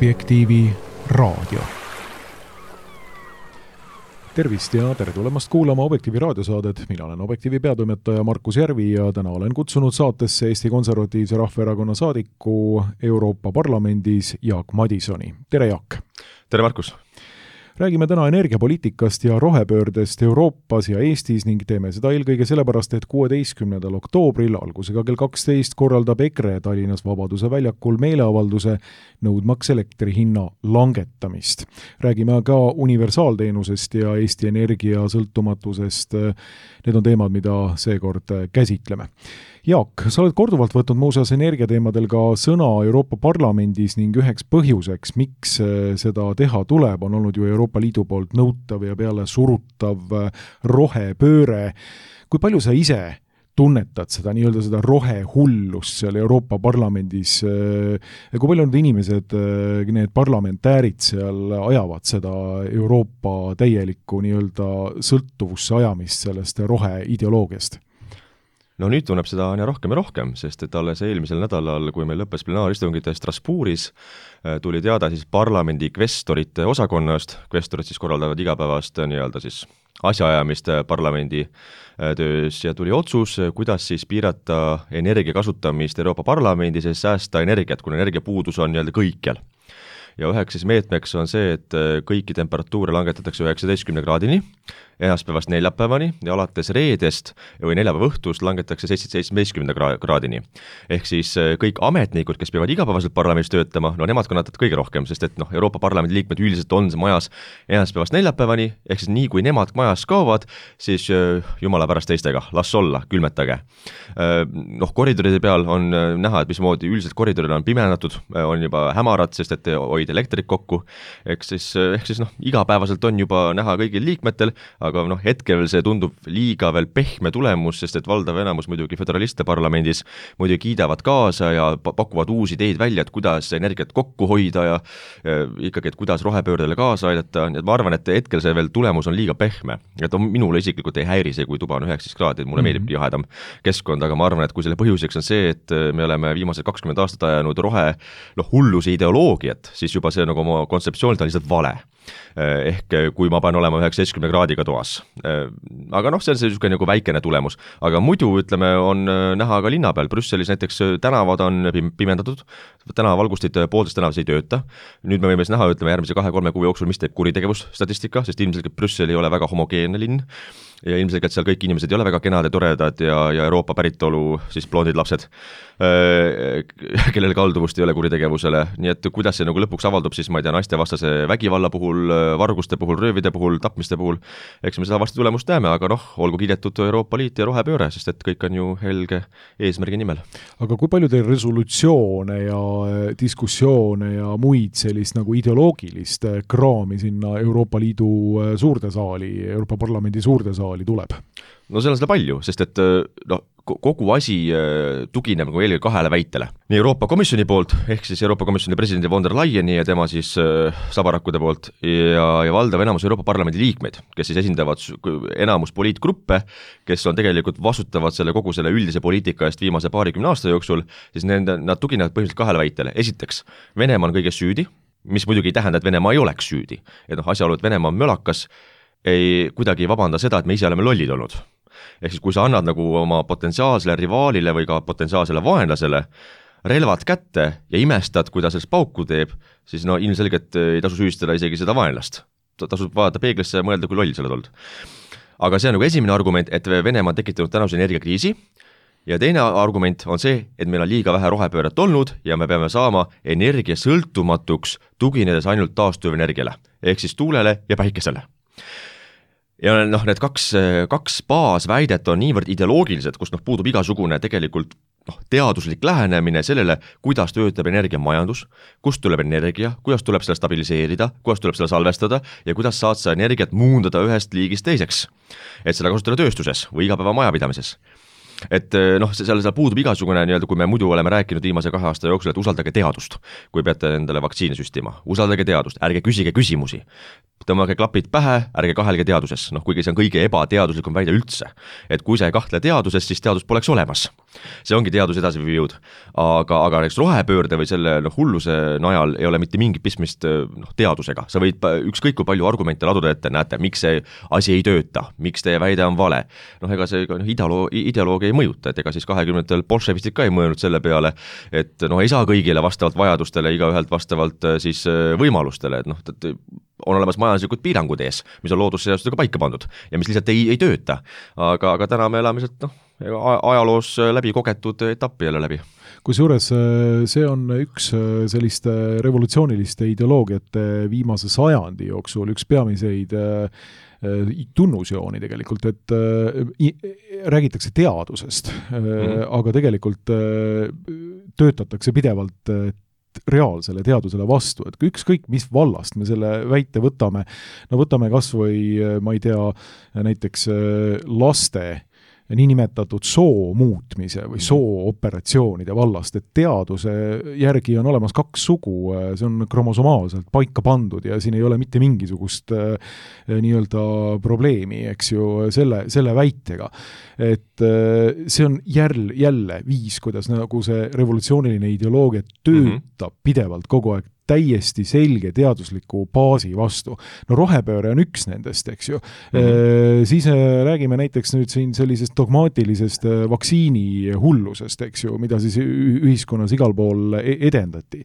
Objektiivi raadio. Tervist ja tere tulemast kuulama Objektiivi raadiosaadet. Mina olen Objektiivi peatoimetaja Markus Järvi ja täna olen kutsunud saatesse Eesti Konservatiivse Rahvaerakonna saadiku Euroopa Parlamendis Jaak Madisoni. Tere Jaak! Tere Markus! Räägime täna energiapoliitikast ja rohepöördest Euroopas ja Eestis ning teeme seda eelkõige sellepärast, et 16. oktoobril algusega kell 12 korraldab EKRE Tallinnas Vabaduse väljakul meeleavalduse nõudmaks elektri hinna langetamist. Räägime ka universaalteenusest ja Eesti Energia sõltumatusest. Need on teemad, mida seekord käsitleme. Jaak, sa oled korduvalt võtnud muuseas energiateemadel ka sõna Euroopa Parlamendis ning üheks põhjuseks, miks seda teha tuleb, on olnud ju Euroopa Liidu poolt nõutav ja peale surutav rohepööre. Kui palju sa ise tunnetad seda seda rohehullust seal Euroopa Parlamendis? Kui palju need inimesed, need parlamentäärid seal ajavad seda Euroopa täielikku sõltuvusse ajamist sellest roheideoloogiast? No nüüd tunneb seda aina rohkem ja rohkem, sest et alles eelmisel nädalal, kui meil lõppes plenaaristungite Strasbourgis, tuli teada siis parlamendi kvestorite osakonnast. Kvestorid siis korraldavad igapäevast asjaajamist parlamendi töös ja tuli otsus, kuidas siis piirata energia kasutamist Euroopa Parlamendis ja säästa energiat, kuna energiapuudus on kõikjal. Ja üheks siis meetmeks on see, et kõiki temperatuure langetatakse 19 kraadini, esmaspäevast neljapäevani ja alates reedest või neljapäeva õhtust langetatakse 17 kraadini. Ehk siis kõik ametnikud, kes peavad igapäevaselt parlamendis töötama, nemad kannatavad kõige rohkem, sest et Euroopa Parlamendi liikmed üldiselt on majas esmaspäevast neljapäevani, ehk siis nii kui nemad majas kaovad, siis jumala pärast teistega, las olla, külmetage. Koridoride peal on näha, et mismoodi üldiselt koridorid on pimendatud, on juba hämarad, sest et hoida elektrit kokku, ehk siis igapäevaselt on juba näha kõigil liikmetel, aga hetkel see tundub liiga veel pehme tulemus, sest et valdav enamus muidugi föderaliste parlamendis muidugi kiidavad kaasa ja pakuvad uusi ideid välja, et kuidas energiat kokku hoida ja ikkagi, et kuidas rohepöördele kaasa aidata. Nii et ma arvan, et hetkel see veel tulemus on liiga pehme. Et minule isiklikult ei häiri see, kui tuba on 19 kraadi, mulle meeldib jahedam keskkond, aga ma arvan, et kui selle põhjuseks on see, et me oleme viimased 20 aastat ajanud hulluse ideoloogiat, siis juba see oma kontseptsioonilt on lihtsalt vale. Ehk kui ma pean olema 19 kraadiga toas. Aga see on see väikene tulemus. Aga muidu, on näha ka linna peal. Brüsselis näiteks tänavad on pimendatud, tänavavalgustid pooltes tänavas ei tööta. Nüüd me võime näha, järgmise 2-3 kuu jooksul, mis teeb kuritegevusstatistika, sest ilmselgelt Brüssel ei ole väga homogeenne linn. Ja ilmselgelt seal kõik inimesed ei ole väga kenad ja toredad ja Euroopa päritolu siis blondid lapsed, kellel kalduvust ei ole kuritegevusele. Nii et kuidas see lõpuks avaldub, siis ma ei tea, naistevastase vägivalla puhul, varguste puhul, röövide puhul, tapmiste puhul, eks me seda vasti tulemust näeme, aga olgu kiidetud Euroopa Liit ja rohepööre, sest et kõik on ju helge eesmärgi nimel. Aga kui palju teil resolutsioone ja diskussioone ja muid sellist ideoloogilist kraami sinna Euroopa Liidu suurde saali, Euroopa Parlamendi suurde saali tuleb? No seal on seda palju, sest et kogu asi tugineb eelkõige 2 väitele. Nii Euroopa Komisjoni poolt, ehk siis Euroopa Komisjoni presidendi von der Leyeni ja tema siis sabarakkude poolt ja valdav enamus Euroopa Parlamendi liikmeid, kes siis esindavad enamus poliitgruppe, kes on tegelikult vastutavad kogu selle üldise poliitika eest viimase 20 aasta jooksul, siis nad tuginevad põhimõtteliselt 2 väitele. Esiteks, Venemaa on kõiges süüdi, mis muidugi ei tähenda, et Venemaa ei oleks süüdi. Et asjaolu, et Venemaa on mölakas, ei kuidagi ei vabanda seda, et me ise oleme lollid olnud. Ehk siis kui sa annad oma potentsiaalsele rivaalile või ka potentsiaalsele vaenlasele relvad kätte ja imestad, kui ta sellest pauku teeb, siis ilmselgelt ei tasu süüstada isegi seda vaenlast. Tasub vaadata peeglisse ja mõelda, kui loll sa oled olnud. Aga see on esimene argument, et Venemaa on tekitanud tänase energiakriisi ja teine argument on see, et meil on liiga vähe rohepööret olnud ja me peame saama energia sõltumatuks tuginedes ainult taastuvenergiale, ehk siis tuulele ja päikesele. Ja need kaks baasväidet on niivõrd ideoloogilised, kus puudub igasugune tegelikult teaduslik lähenemine sellele, kuidas töötab energiamajandus, kust tuleb energia, kuidas tuleb selle stabiliseerida, kuidas tuleb selle salvestada ja kuidas saad sa energiat muundada ühest liigist teiseks, et seda kasutada tööstuses või igapäeva majapidamises. Et seal puudub igasugune, kui me muidu oleme rääkinud viimase 2 aasta jooksul, et usaldage teadust, kui peate endale vaktsiini süstima. Usaldage teadust, ärge küsige küsimusi. Tõmmage klapid pähe, ärge kahelge teaduses. Kuigi see on kõige ebateaduslikum väide üldse. Et kui sa ei kahtle teaduses, siis teadus poleks olemas. see ongi teaduse edasiviiv jõud. Aga näiteks rohepöörde või selle hulluse najal ei ole mitte mingit pistmist teadusega. Sa võid ükskõik kui palju argumente laduda ette, näete, miks see asi ei tööta, miks teie väide on vale. Ega see ideoloogia ei mõjuta, et ega siis 20-ndatel bolševistid ka ei mõelnud selle peale, et ei saa kõigile vastavalt vajadustele, igaühelt vastavalt siis võimalustele, et on olemas majanduslikud piirangud ees, mis on loodusseadustega paika pandud ja mis lihtsalt ei tööta. Aga täna me elame lihtsalt ajaloos läbi kogetud etappi jälle läbi. Kusjuures see on üks selliste revolutsiooniliste ideoloogiate viimase sajandi jooksul, üks peamiseid tunnusjooni tegelikult, et räägitakse teadusest, aga tegelikult töötatakse pidevalt reaalsele teadusele vastu, et ükskõik mis vallast me selle väite võtame, võtame kas või, ma ei tea, näiteks laste niinimetatud soo muutmise või soo-operatsioonide vallast, et teaduse järgi on olemas 2 sugu, see on kromosomaalselt paika pandud ja siin ei ole mitte mingisugust nii-öelda probleemi, eks ju, selle väitega. Et see on jälle viis, kuidas nagu see revolutsiooniline ideoloogia töötab pidevalt kogu aeg täiesti selge teadusliku baasi vastu. Rohepööre on üks nendest, eks ju. Siis räägime näiteks nüüd siin sellisest dogmaatilisest vaktsiini hullusest, eks ju, mida siis ühiskonnas igal pool edendati.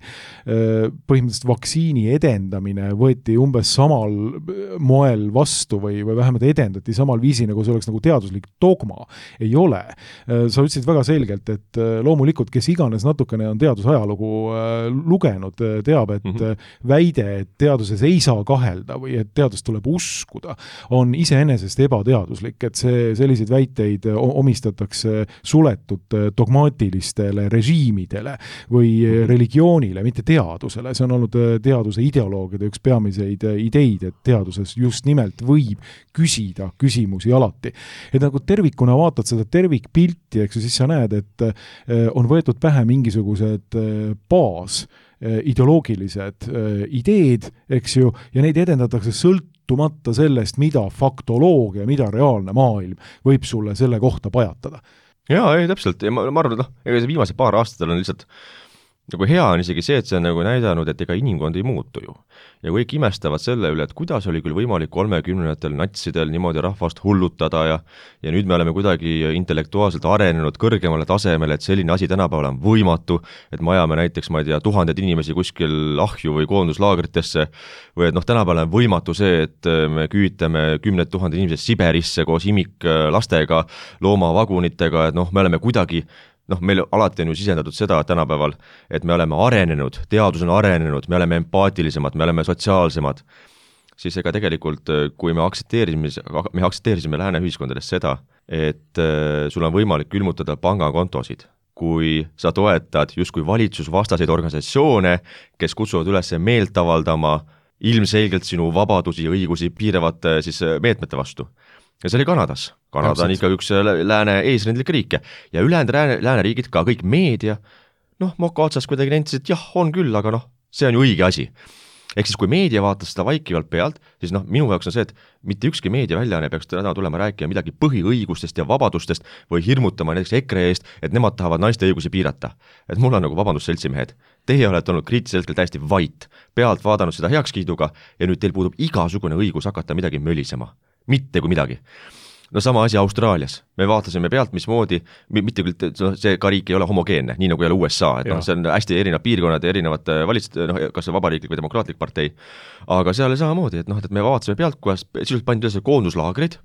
Põhimõtteliselt vaktsiini edendamine võeti umbes samal moel vastu või vähemalt edendati samal viisi, nagu see oleks nagu teaduslik dogma. Ei ole. Sa ütlesid väga selgelt, et loomulikult, kes iganes natukene on teadusajalugu lugenud, teab, et väide, et teaduses ei saa kahelda või et teadust tuleb uskuda, on iseenesest ebateaduslik, et selliseid väiteid omistatakse suletud dogmaatilistele režiimidele või religioonile, mitte teadusele. See on olnud teaduse ideoloogide üks peamiseid ideid, et teaduses just nimelt võib küsida küsimusi alati. Et nagu tervikuna vaatad seda tervikpilti, eks ju, siis sa näed, et on võetud pähe mingisugused ideoloogilised ideed, eks ju, ja neid edendatakse sõltumata sellest, mida faktoloogia, mida reaalne maailm võib sulle selle kohta pajatada. Jaa, ei, täpselt. Ja ma arvan, et ega see viimase paar aastatel on lihtsalt nagu hea on isegi see, et see on nagu näidanud, et ega inimkond ei muutu ju. Ja kõik imestavad selle üle, et kuidas oli küll võimalik 30-ndatel natsidel niimoodi rahvast hullutada ja nüüd me oleme kuidagi intellektuaalselt arenenud kõrgemale tasemele, et selline asi tänapäeval on võimatu, et me ajame näiteks, ma ei tea, 1000 inimesi kuskil ahju või koonduslaagritesse või et tänapäeval on võimatu see, et me küütame 10 000 inimesed Siberisse koos imiklastega, loomavagunitega, et me oleme kuidagi meil alati on ju sisendatud seda tänapäeval, et me oleme arenenud, teadus on arenenud, me oleme empaatilisemad, me oleme sotsiaalsemad, siis ega tegelikult, kui me aktsepteerisime lääne ühiskondades seda, et sul on võimalik külmutada pangakontosid, kui sa toetad justkui valitsusvastaseid organisatsioone, kes kutsuvad üles meelt avaldama ilmselgelt sinu vabadusi ja õigusi piiravate siis meetmete vastu. Ja see oli Kanadas. Kanada on ikka üks lääne eesrindlik riike ja ülejäänud lääneriigid, ka kõik meedia, moka otsas kuidagi nendis, et jah, on küll, aga see on ju õige asi. Ehk siis, kui meedia vaatas seda vaikivalt pealt, siis minu jaoks on see, et mitte ükski meediaväljaane peaks täna tulema rääkima midagi põhiõigustest ja vabadustest või hirmutama näiteks EKRE eest, et nemad tahavad naiste õigusi piirata. Et mul on nagu vabandust seltsimehed. Teie olete olnud kriitilisel hetkel täiesti vait, pealt vaadanud seda heakskiiduga ja nüüd teil puudub igasugune õigus hakata midagi mölisema. Mitte kui midagi. Sama asi Austraalias. Me vaatasime pealt, mismoodi, mitte küll, see ka riik ei ole homogeenne, nii nagu ei ole USA, et see on hästi erinevad piirkonnad ja erinevad kas see vabariiklik või demokraatlik partei. Aga seal oli samamoodi, et me vaatasime pealt, kuidas sisuliselt pandi üles koonduslaagrid,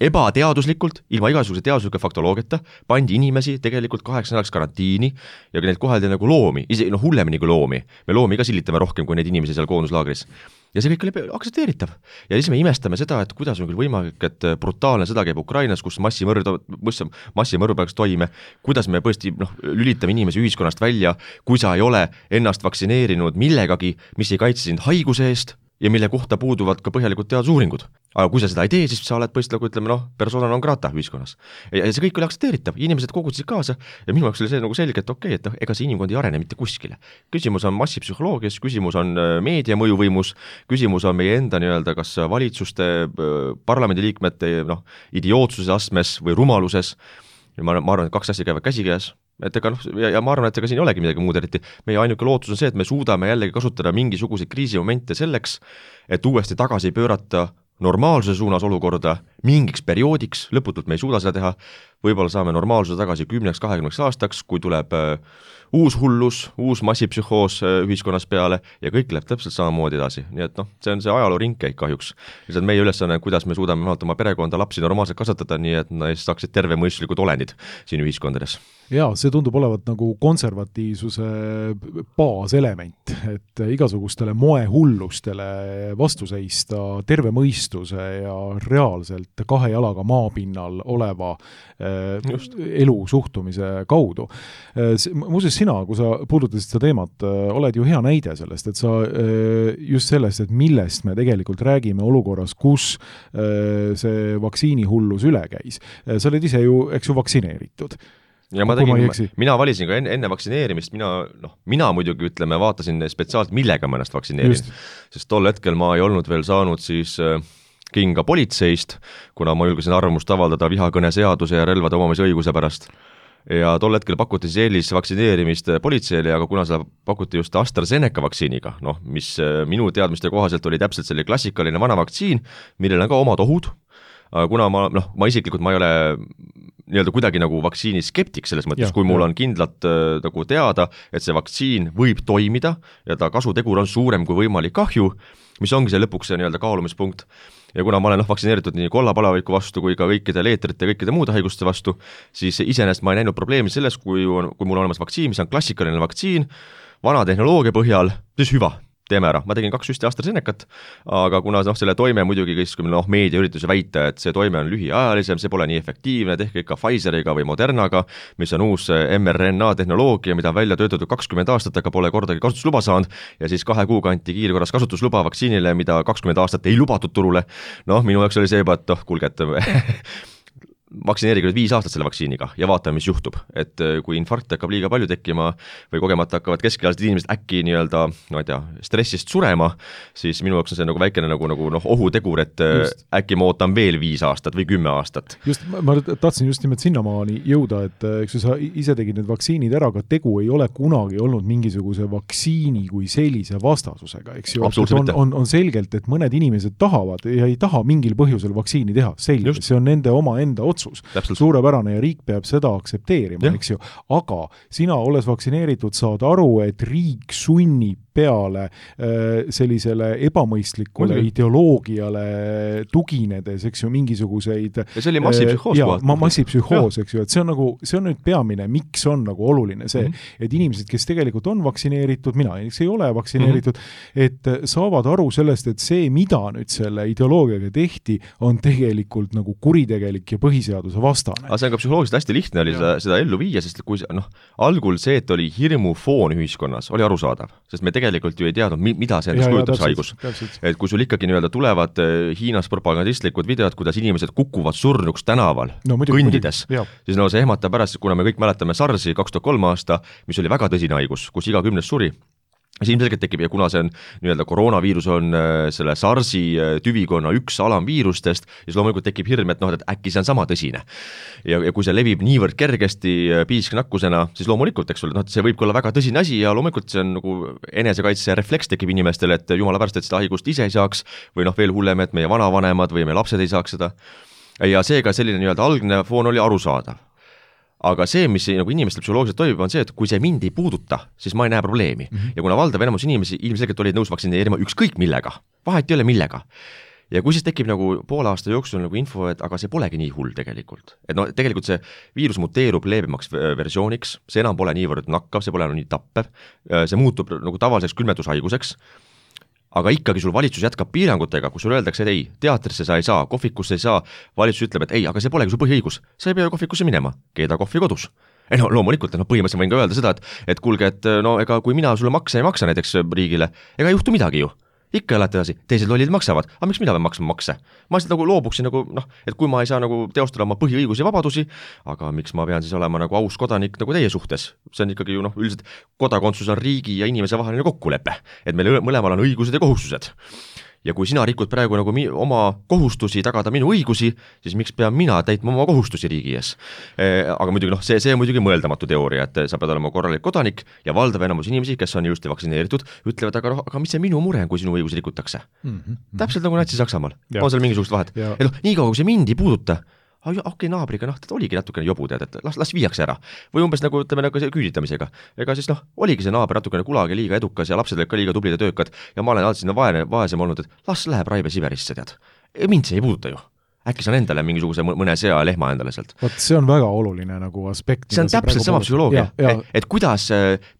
ebateaduslikult, ilma igasuguse teadusliku faktoloogiata, pandi inimesi tegelikult 8 nädalaks karantiini ja neid koheldi nagu loomi, hullemini kui loomi. Me loomi ka sillitame rohkem kui neid inimesi seal koonduslaagris. Ja see kõik oli aktsepteeritav. Ja siis me imestame seda, et kuidas on küll võimalik, et brutaalne sõda käib Ukrainas, kus massimõrv peaks toime, kuidas me põesti lülitame inimesi ühiskonnast välja, kui sa ei ole ennast vaktsineerinud millegagi, mis ei kaitse sind haiguse eest ja mille kohta puuduvad ka põhjalikud teadusuuringud. Aga kui sa seda ei tee, siis sa oled põhiliselt nagu ütleme, persona non grata ühiskonnas. Ja see kõik oli aktsepteeritav, inimesed kogusid kaasa ja minu jaoks oli see nagu selge, et okei, et ega see inimkond ei arene mitte kuskile. Küsimus on massipsühholoogias, küsimus on meedia mõjuvõimus, küsimus on meie enda nii-öelda kas valitsuste, parlamendiliikmete idiootsuses astmes või rumaluses ja ma arvan, et kaks asja käivad käsikäes, et ega ja ma arvan, et ega siin ei olegi midagi muud eriti. Meie ainuke lootus on see, et me suudame jällegi kasutada mingisuguseid kriisimomente selleks, et uuesti tagasi pöörata normaalsuse suunas olukorda mingiks perioodiks, lõputult me ei suuda seda teha, võib-olla saame normaalsuse tagasi 10-20 aastaks, kui tuleb uus hullus, uus massipsühhoos ühiskonnas peale ja kõik läheb täpselt samamoodi edasi. Nii et see on see ajaloo ringkäik kahjuks. Lihtsalt meie ülesanne, kuidas me suudame oma perekonda lapsi normaalselt kasvatada, nii et nad saaksid tervemõistlikud olendid siin ühiskondades. Jaa, see tundub olevat nagu konservatiivsuse baaselement, et igasugustele moehullustele vastu seista terve mõistuse ja reaalselt kahe jalaga maapinnal oleva elu suhtumise kaudu. Muuseas sina, kui sa puudutasid seda teemat, oled ju hea näide sellest, et sa just sellest, et millest me tegelikult räägime olukorras, kus see vaktsiinihullus üle käis. Sa oled ise ju, eks ju, vaktsineeritud. Ja mina valisin ka enne vaktsineerimist, mina muidugi vaatasin spetsiaalselt, millega ma ennast vaktsineerin, sest tol hetkel ma ei olnud veel saanud siis kinga politseist, kuna ma julgesin arvamust avaldada vihakõne seaduse ja relvade omamise õiguse pärast. Ja tol hetkel pakuti eelisvaktsineerimist politseile, aga kuna seda pakuti just AstraZeneca vaktsiiniga, mis minu teadmiste kohaselt oli täpselt selle klassikaline vana vaktsiin, millel on ka omad ohud, aga kuna ma isiklikult ma ei ole nii-öelda kuidagi nagu vaktsiini skeptik selles mõttes, kui mul on kindlalt nagu teada, et see vaktsiin võib toimida ja ta kasutegur on suurem kui võimalik kahju, mis ongi see lõpuks see nii-öelda kaalumispunkt. Ja kuna ma olen vaktsineeritud nii kollapalaviku vastu kui ka kõikide leetrite ja kõikide muude haiguste vastu, siis iseenesest ma ei näinud probleemi selles, kui mul on olemas vaktsiin, mis on klassikaline vaktsiin, vana tehnoloogia põhjal, siis hüva. Teeme ära. Ma tegin 2 süsti AstraZenecat, aga kuna selle toime muidugi meedia ürituse väita, et see toime on lühiajalisem, see pole nii efektiivne, tehke ikka Pfizeriga või Modernaga, mis on uus mRNA tehnoloogia, mida on välja töötatud 20 aastat, aga pole kordagi kasutusluba saanud, ja siis 2 kuuga anti kiirkorras kasutusluba vaktsiinile, mida 20 aastat ei lubatud turule. Minu jaoks oli see juba, et kuulge, et vaktsineerige nüüd 5 aastat selle vaktsiiniga ja vaatame, mis juhtub. Et kui infarkt hakkab liiga palju tekkima või kogemata hakkavad keskealised inimesed äkki nii-öelda, stressist surema, siis minu jaoks on see nagu väikene nagu ohutegur, et äkki ma ootan veel 5 aastat või 10 aastat. Just, ma tahtsin just nimelt sinnamaani jõuda, et eks sa ise tegid need vaktsiinid ära, aga tegu ei ole kunagi olnud mingisuguse vaktsiini kui sellise vastasusega, eks ju. On selgelt, et mõned inimesed tahavad ja ei taha mingil põhjusel vaktsiini teha. Selge, see on nende oma enda otsus. Suurepärane ja riik peab seda aktsepteerima, eks ju. Aga sina olles vaktsineeritud saad aru, et riik sunnib peale sellisele ebamõistlikule ideoloogiale tuginedes, eks ju, mingisuguseid ja see oli massipsühhoos. Massipsühhoos, eks ju, et see on nüüd peamine, miks on nagu oluline see, et inimesed, kes tegelikult on vaktsineeritud, mina ei ole vaktsineeritud, et saavad aru sellest, et see, mida nüüd selle ideoloogiaga tehti, on tegelikult nagu kuritegelik ja põhiseaduse vastane. Aga see on ka psühholoogiliselt hästi lihtne oli seda ellu viia, sest kui algul see, et oli hirmufoon ühiskonnas, oli arusaadav, sest me tegelikult ju ei teadnud, mida see endast kujutab see haigus. Et kui sul ikkagi nii-öelda tulevad Hiinas propagandistlikud videod, kuidas inimesed kukuvad surnuks tänaval, kõndides, siis see ehmatab pärast, kuna me kõik mäletame SARS-i 2003 aasta, mis oli väga tõsine haigus, kus iga 10 suri. See ilmselgelt tekib ja kuna see on nii-öelda koroonaviirus on selle SARS-i tüvikonna üks alamviirustest, siis loomulikult tekib hirm, et äkki see on sama tõsine. Ja kui see levib niivõrd kergesti piisknakkusena, siis loomulikult, eks ole, see võib olla väga tõsine asi ja loomulikult see on nagu enesekaitse refleks tekib inimestel, et jumala pärast, et seda haigust ise ei saaks või veel hullem, et meie vanavanemad või meie lapsed ei saaks seda. Ja seega selline nii-öelda algne foon oli arusaadav. Aga see, mis nagu inimestel psühholoogiliselt toimub, on see, et kui see mind ei puuduta, siis ma ei näe probleemi. Ja kuna valdav enamus inimesi ilmselgelt olid nõus vaktsineerima ükskõik millega, vahet ei ole millega. Ja kui siis tekib nagu poole aasta jooksul nagu info, et aga see polegi nii hull tegelikult. Et tegelikult see viirus muteerub leebemaks versiooniks, see enam pole niivõrd nakkav, see pole enam nii tappev, see muutub nagu tavaliseks külmetushaiguseks. Aga ikkagi sul valitsus jätkab piirangutega, kus sul öeldakse, et ei, teatrisse sa ei saa, kohvikusse ei saa, valitsus ütleb, et ei, aga see polegi su põhiõigus, sa ei pea kohvikusse minema, keeda kohvi kodus. Loomulikult, põhimõtteliselt võin ka öelda seda, et kuulge, et ega kui mina sulle makse ei maksa näiteks riigile, ega ei juhtu midagi ju. Ikka elate edasi, teised lollid maksavad, aga miks mina pean maksma makse? Ma lihtsalt nagu loobuksin, et kui ma ei saa nagu teostada oma põhiõigusi ja vabadusi, aga miks ma pean siis olema nagu aus kodanik nagu teie suhtes? See on ikkagi ju üldiselt kodakondsus on riigi ja inimese vaheline kokkulepe, et meil mõlemal on õigused ja kohustused. ja kui sina rikud praegu nagu oma kohustusi tagada minu õigusi, siis miks pean mina täitma oma kohustusi riigi ees? Aga muidugi see on muidugi mõeldamatu teooria, et sa pead olema korralik kodanik ja valdav enamus inimesi, kes on ilusti vaktsineeritud, ütlevad, aga mis see minu mure on, kui sinu õigusi rikutakse? Täpselt nagu Natsi-Saksamaal. On seal mingisugust vahet. Et nii kaua, kui see mind ei puuduta, okei, naabriga, ta oligi natukene jobu, et las viiakse ära. Või umbes nagu, ütleme, nagu küüditamisega. Ega siis oligi see naaber natukene kulagi liiga edukas ja lapsed olid ka liiga tublid ja töökad ja ma olen alati sinna vaesem olnud, et las läheb Raive Siberisse, tead. Mind see ei puuduta ju. Äkki saan endale mingisuguse mõne sea ja lehma endale sealt. Vaat see on väga oluline nagu aspekt. See on täpselt sama psühholoogia, et kuidas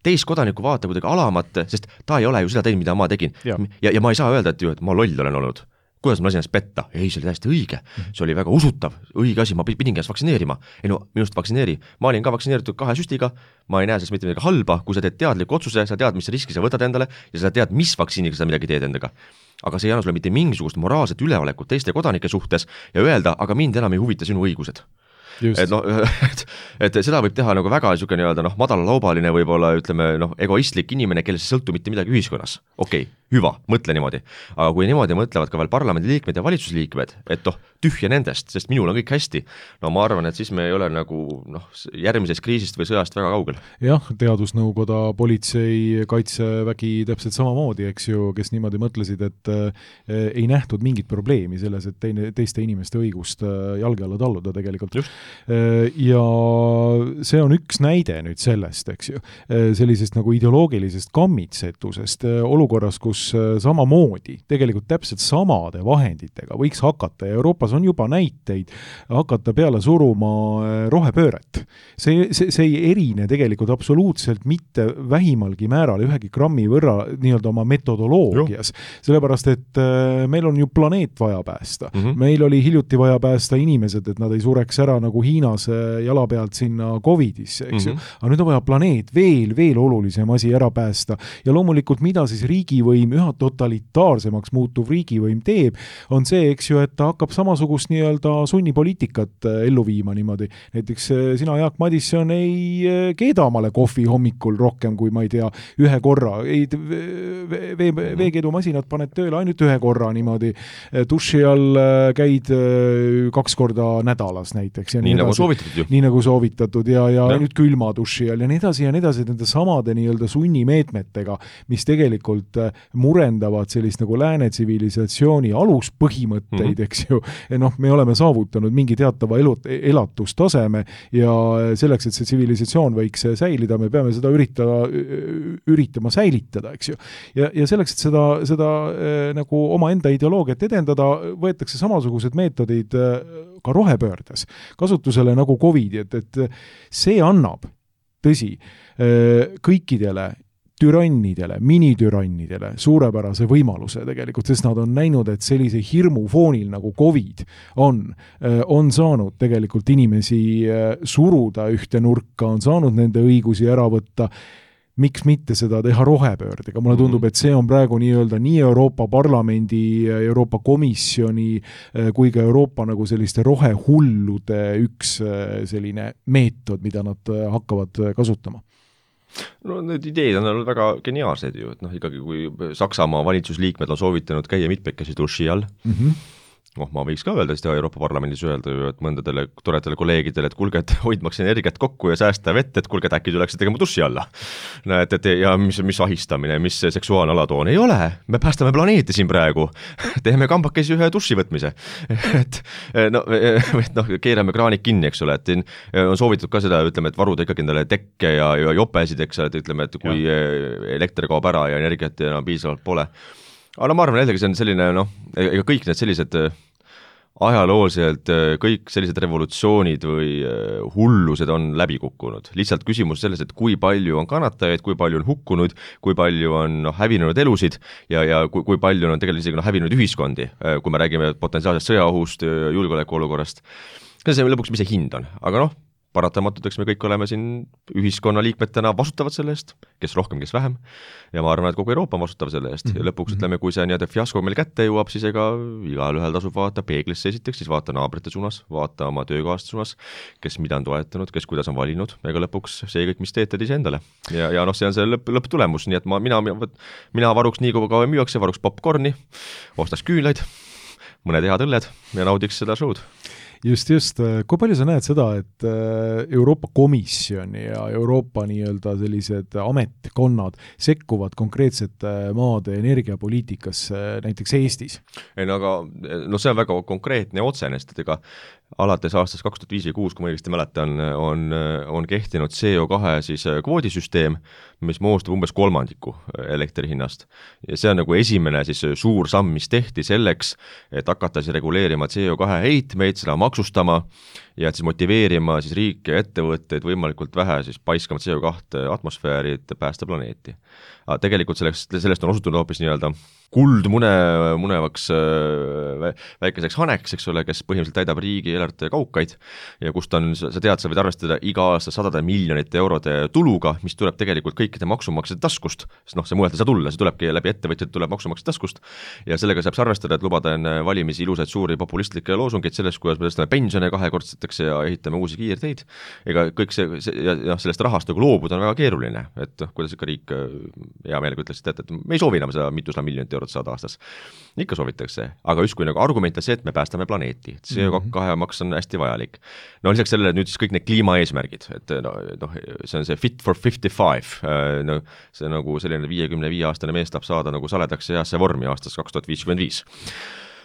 teist kodaniku vaata kuidagi alamat, sest ta ei ole ju seda teinud, mida ma tegin. Ja ma ei saa öelda, et ma loll olen olnud. Kuidas ma lasin ennast petta? Ei, see oli täiesti õige. See oli väga usutav, õige asi, ma pidingi ennast vaktsineerima. Ei no, minust vaktsineeri. Ma olin ka vaktsineeritud 2 süstiga, ma ei näe sellest mitte midagi halba, kui sa teed teadliku otsuse, sa tead, mis riski sa võtad endale ja sa tead, mis vaktsiiniga sa midagi teed endaga. Aga see ei anna sulle mitte mingisugust moraalset üleolekut teiste kodanike suhtes ja öelda, aga mind enam ei huvita sinu õigused. Et seda võib teha nagu väga niisugune nii-öelda madalalaubaline võib-olla ütleme egoistlik inimene, kellest sõltu mitte midagi ühiskonnas. Okei, hüva, mõtle niimoodi. Aga kui niimoodi mõtlevad ka veel parlamendiliikmed ja valitsusliikmed, et tühja nendest, sest minul on kõik hästi, ma arvan, et siis me ei ole nagu järgmisest kriisist või sõjast väga kaugel. Jah, teadusnõukoda, politsei, kaitsevägi täpselt samamoodi, eks ju, kes niimoodi mõtlesid, et ei nähtud mingit probleemi selles, et teiste inimeste õigust jalge alla talluda tegelikult. Just. Ja see on üks näide nüüd sellest, eks ju, sellisest nagu ideoloogilisest kammitsetusest olukorras, kus samamoodi, tegelikult täpselt samade vahenditega võiks hakata, ja Euroopas on juba näiteid, hakata peale suruma rohepööret. See ei erine tegelikult absoluutselt mitte vähimalgi määral ühegi grammi võrra nii-öelda oma metodoloogias, sellepärast, et meil on ju planeet vaja päästa. Meil oli hiljuti vaja päästa inimesed, et nad ei sureks ära nagu Hiinas jala pealt sinna COVID-isse, eks ju. Aga nüüd on vaja planeet veel olulisem asi ära päästa. Ja loomulikult, mida siis riigivõim, üha totalitaarsemaks muutuv riigivõim teeb, on see, eks ju, et ta hakkab samasugust nii-öelda sunnipoliitikat ellu viima niimoodi. Näiteks sina, Jaak Madisson, ei keeda omale kohvi hommikul rohkem kui, ma ei tea, ühe korra. Veekeedumasinad paned tööle ainult ühe korra niimoodi. Duši all käid 2 korda nädalas näiteks. Nii nagu soovitatud ju. Nii nagu soovitatud ja nüüd külma duši all ja nii edasi nende samade nii-öelda sunnimeetmetega, mis tegelikult murendavad sellist nagu lääne tsivilisatsiooni aluspõhimõtteid, eks ju. Me oleme saavutanud mingi teatava elatustaseme ja selleks, et see tsivilisatsioon võiks säilida, me peame seda üritama säilitada, eks ju. Ja selleks, et seda nagu oma enda ideoloogiat edendada, võetakse samasugused meetodid ka rohepöördes kasutusele nagu COVID, et see annab, tõsi, kõikidele türannidele, minitürannidele suurepärase võimaluse tegelikult, sest nad on näinud, et sellise hirmu foonil nagu COVID on saanud tegelikult inimesi suruda ühte nurka, on saanud nende õigusi ära võtta. Miks mitte seda teha rohepöördega? Mulle tundub, et see on praegu nii-öelda nii Euroopa Parlamendi, Euroopa Komisjoni kui ka Euroopa nagu selliste rohehullude üks selline meetod, mida nad hakkavad kasutama. No need ideed on olnud väga geniaalsed ju, et ikkagi kui Saksamaa valitsusliikmed on soovitanud käia mitmekesi duši all, ma võiks ka öelda seda Euroopa Parlamendis öelda ju, et mõndadele toredale kolleegidele, et kuulge, et hoidmaks energiat kokku ja säästa vett, et kuulge, et äkki tuleks tegema duši alla. Ja mis ahistamine, mis seksuaalne alatoon ei ole, me päästame planeeti siin praegu, teeme kambakesi ühe duši võtmise, et keerame kraanik kinni, eks ole, et on soovitud ka seda, ütleme, et varuda ikkagi endale tekke ja jopesid, eks ole, et ütleme, et kui elekter kaob ära ja energiat enam piisavalt pole. Aga ma arvan, jällegi see on selline, ega kõik need sellised ajalooliselt kõik sellised revolutsioonid või hullused on läbi kukkunud. Lihtsalt küsimus selles, et kui palju on kannatajaid, kui palju on hukkunud, kui palju on hävinenud elusid ja kui palju on tegelikult isegi hävinenud ühiskondi, kui me räägime potentsiaalsest sõjaohust, julgeolekuolukorrast. See on lõpuks, mis see hind on. Aga paratamatult, eks me kõik oleme siin ühiskonnaliikmetena vastutavad selle eest, kes rohkem, kes vähem, ja ma arvan, et kogu Euroopa on vastutav selle eest ja lõpuks ütleme, kui see nii-öelda fiasko meil kätte jõuab, siis ega igalühel tasub vaadata peeglisse esiteks, siis vaata naabrite suunas, vaata oma töökaaslaste suunas, kes mida on toetanud, kes kuidas on valinud, ega lõpuks see kõik, mis teete iseendale. Ja noh, see on see lõpptulemus, nii et mina varuks nii kui kaua müüakse, varuks popcorni, ostaks küünlaid, mõned head õlled ja naudiks seda show'd. Just. Kui palju sa näed seda, et Euroopa Komisjon ja Euroopa nii-öelda sellised ametkonnad sekkuvad konkreetsete maade energiapoliitikasse näiteks Eestis? Ei, no aga see on väga konkreetne ja otsene, sest ega alates aastast 2005 või 2006, kui ma õigesti mäletan, on kehtinud CO2 siis kvoodisüsteem, mis moodustab umbes kolmandiku elektri hinnast. Ja see on nagu esimene siis suur samm, mis tehti selleks, et hakata siis reguleerima CO2 heitmeid, seda maksustama ja et siis motiveerima siis riike ja ettevõtteid võimalikult vähe siis paiskama CO2 atmosfääri, et päästa planeeti. Aga tegelikult sellest on osutunud hoopis nii-öelda kuldmunevaks väikeseks haneks, eks ole, kes põhimõtteliselt täidab riigi eelarvete kaukaid ja kust on, sa võid arvestada iga aasta 100 miljonite eurode tuluga, mis tuleb tegelikult kõikide maksumaksjate taskust, sest see mujalt ei saa tulla, see tulebki läbi ettevõtjad, tuleb maksumaksjate taskust ja sellega saab arvestada, et lubada enne valimisi ilusaid suuri populistlikke loosungeid sellest, kuidas me tõstame pensione kahekordsetakse ja ehitame uusi kiirteid. Ega kõik see ja sellest rahast nagu loobuda on väga keeruline, et kuidas ikka riik hea meelega ütles, et me ei soovi enam seda 200 miljonit eurot saada aastas. Ikka soovitakse, aga just kui nagu argument on see, et me päästame planeeti. CO2 maks on hästi vajalik. No lisaks sellele nüüd siis kõik need kliimaeesmärgid, et see on see Fit for 55, see nagu selline 55-aastane mees tahab saada nagu saledaks heasse vormi aastast 2055.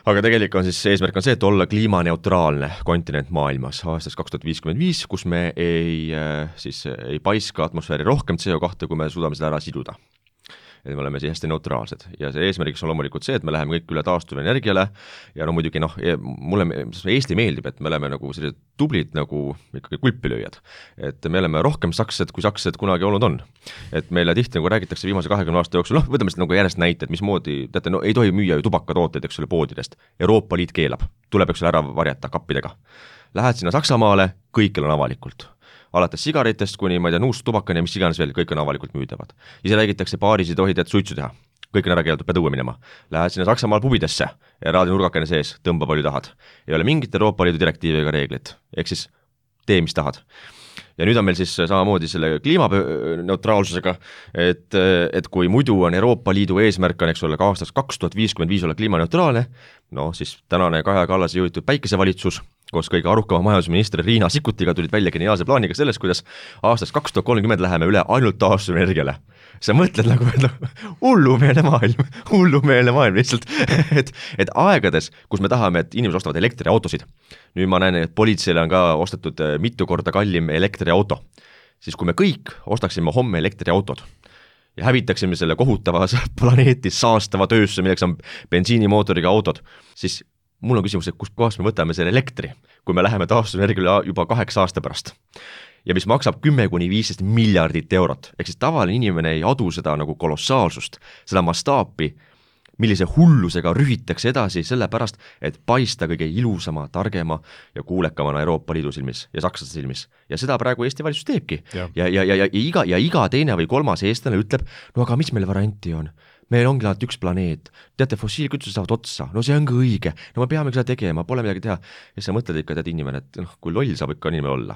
Aga tegelikult on siis eesmärk on see, et olla kliimaneutraalne kontinent maailmas aastast 2055, kus me ei paiska atmosfääri rohkem CO2, kui me suudame seda ära siduda. Et me oleme siis hästi neutraalsed ja see eesmärgiks on loomulikult see, et me läheme kõik üle taastuvenergiale ja no muidugi mulle Eesti meeldib, et me oleme nagu sellised tublid nagu ikkagi kulpilööjad, et me oleme rohkem saksed, kui saksed kunagi olnud on. Et meile tihti nagu räägitakse viimase 20 aasta jooksul, võtame seda nagu järjest näited, mismoodi, teate, ei tohi müüa ju tubakatooteid, eks ole, poodidest. Euroopa Liit keelab, tuleb eks ole ära varjata kappidega. Lähed sinna Saksamaale, kõikjal on avalikult. Alates sigaritest kuni, ma ei tea, nuust tubakani ja mis iganes veel, kõik on avalikult müüdavad. Ise räägitakse paaris ei tohi tead suitsu teha. Kõik on ära keelatud, pead õue minema. Lähed sinna Saksamaal pubidesse ja raadi nurgakene sees, tõmba palju tahad. Ei ole mingit Euroopa Liidu direktiivi ega reeglit. Ehk siis tee, mis tahad. Ja nüüd on meil siis samamoodi selle kliimaneutraalsusega, et kui muidu on Euroopa Liidu eesmärk on, eks ole, ka aastast 2055 olla kliimaneutraalne, siis tänane Kaja Kallase juhitud päikesevalitsus koos kõige arukama majandusministri Riina Sikkutiga tulid välja geniaalse plaaniga sellest, kuidas aastast 2030 läheme üle ainult taastuvenergiale. Sa mõtled nagu, hullumeelne maailm lihtsalt, et aegades, kus me tahame, et inimesed ostavad elektriautosid, nüüd ma näen, et politseile on ka ostetud mitu korda kallim elektriauto, siis kui me kõik ostaksime homme elektriautod ja hävitaksime selle kohutava planeeti saastava töösse, milleks on bensiinimootoriga autod, siis mul on küsimus, et kust kohast me võtame selle elektri, kui me läheme taastuvenergiale juba 8 aasta pärast. Ja mis maksab 10–15 miljardit eurot. Ehk siis tavaline inimene ei adu seda nagu kolossaalsust, seda mastaapi, millise hullusega rühitakse edasi sellepärast, et paista kõige ilusama, targema ja kuulekamana Euroopa Liidu silmis ja sakslaste silmis. Ja seda praegu Eesti valitsus teebki. Ja iga teine või kolmas eestlane ütleb, no aga mis meil varianti on? Meil ongi ainult üks planeet, teate, fossiilkütused saavad otsa, no see ongi õige, no me peame seda tegema, pole midagi teha. Ja sa mõtled ikka, tead inimene, et kui loll saab ikka inimene olla.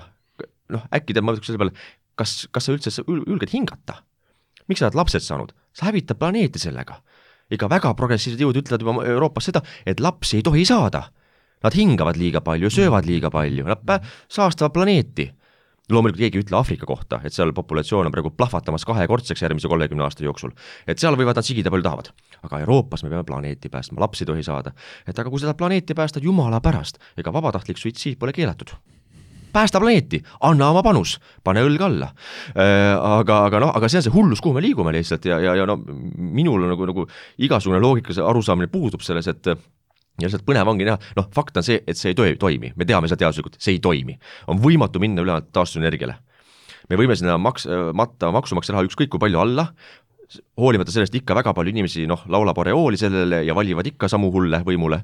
Äkki ma mõtleks selle peale, kas sa üldse ülged hingata? Miks sa oled lapsed saanud? Sa hävitad planeeti sellega. Ega väga progressiivsed jõud ütlevad juba Euroopas seda, et lapsi ei tohi saada. Nad hingavad liiga palju, söövad liiga palju, nad saastavad planeeti. Loomulikult keegi ütle Aafrika kohta, et seal populatsioon on praegu plahvatamas 2-kordseks järgmise 30 aasta jooksul. Et seal võivad nad sigida palju tahavad. Aga Euroopas me peame planeeti päästma, lapsi tohi saada. Et aga kui seda planeeti päästad jumala pärast, ega vabatahtlik suitsiid pole keelatud. Päästa planeeti, anna oma panus, pane õlg alla. Aga see on see hullus, kuhu me liigume lihtsalt ja minul nagu igasugune loogika arusaamine puudub selles, et ja lihtsalt põnev ongi näha, fakt on see, et see ei toimi. Me teame seda teaduslikult, see ei toimi. On võimatu minna üle taastuvenergiale. Me võime sinna maksumaksja raha ükskõik kui palju alla, hoolimata sellest ikka väga palju inimesi, laulab oreooli sellele ja valivad ikka samu hulle võimule,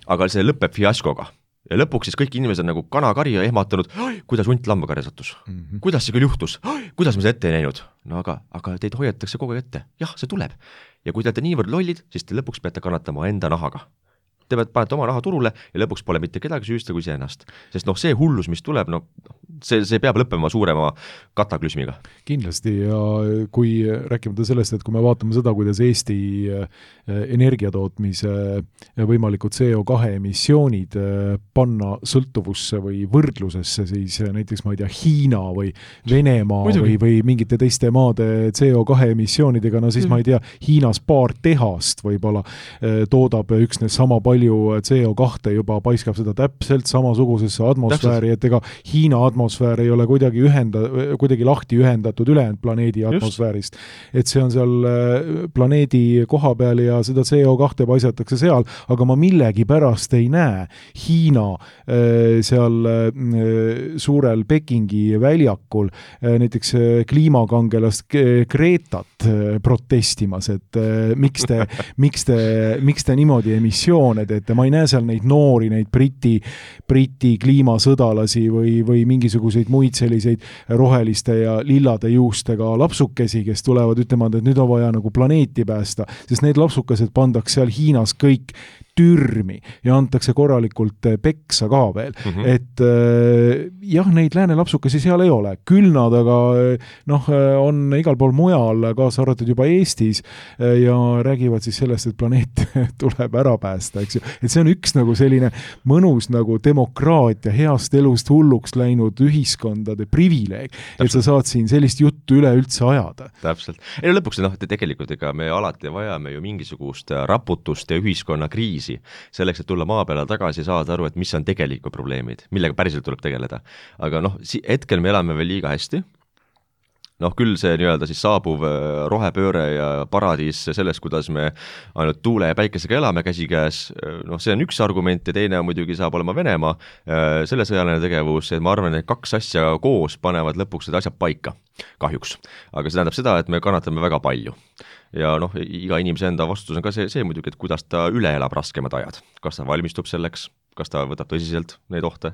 aga see lõpeb fiaskoga. ja lõpuks siis kõik inimesed on nagu kanakarja ehmatanud, kuidas hunt lambakarja sattus, kuidas see küll juhtus, kuidas me seda ette ei näinud, no aga teid hoiatakse kogu aeg ette, jah, see tuleb. Ja kui te olete niivõrd lollid, siis te lõpuks peate kannatama enda nahaga. Te panete oma raha turule ja lõpuks pole mitte kedagi süüsta kui see ennast. Sest see hullus, mis tuleb, see peab lõppema suurema kataklüsmiga. Kindlasti ja kui rääkimata sellest, et kui me vaatame seda, kuidas Eesti energiatootmise võimalikud CO2 emissioonid panna sõltuvusse või võrdlusesse, siis näiteks ma ei tea, Hiina või Venemaa või mingite teiste maade CO2 emissioonidega, no siis ma ei tea, Hiinas paar tehast võib-olla toodab üksnes sama palju CO2 juba paiskab seda täpselt samasugusesse atmosfääri, et ega Hiina atmosfäär ei ole kuidagi lahti ühendatud ülejäänud planeedi atmosfäärist. Et see on seal planeedi koha peal ja seda CO2 paisatakse seal, aga ma millegi pärast ei näe Hiina seal suurel Pekingi väljakul näiteks kliimakangelast Gretat protestimas, et miks te niimoodi emissioone teete, ma ei näe seal neid noori, neid Briti kliimasõdalasi või mingisuguseid muid selliseid roheliste ja lillade juustega lapsukesi, kes tulevad ütlema, et nüüd on vaja nagu planeeti päästa, sest need lapsukesed pandaks seal Hiinas kõik türmi ja antakse korralikult peksa ka veel. Et jah, neid lääne lapsukesi seal ei ole. Küll nad aga on igal pool mujal, kaasa arvatud juba Eestis ja räägivad siis sellest, et planeet tuleb ära päästa, eks ju. Et see on üks nagu selline mõnus nagu demokraatia, heast elust hulluks läinud ühiskondade privileeg, et sa saad siin sellist juttu üleüldse ajada. Täpselt. Ei lõpuks tegelikult ega me alati vajame ju mingisugust raputust ja ühiskonnakriisi selleks, et tulla maa peale tagasi ja saada aru, et mis on tegelikud probleemid, millega päriselt tuleb tegeleda. Aga hetkel me elame veel liiga hästi. Küll see nii-öelda siis saabuv rohepööre ja paradiis sellest, kuidas me ainult tuule ja päikesega elame käsikäes, see on üks argument ja teine muidugi saab olema Venemaa, selle sõjaline tegevus, et ma arvan, et kaks asja koos panevad lõpuks seda asja paika, kahjuks. Aga see tähendab seda, et me kannatame väga palju. Ja iga inimese enda vastutus on ka see muidugi, et kuidas ta üle elab raskemad ajad. Kas ta valmistub selleks, kas ta võtab tõsiselt neid ohte.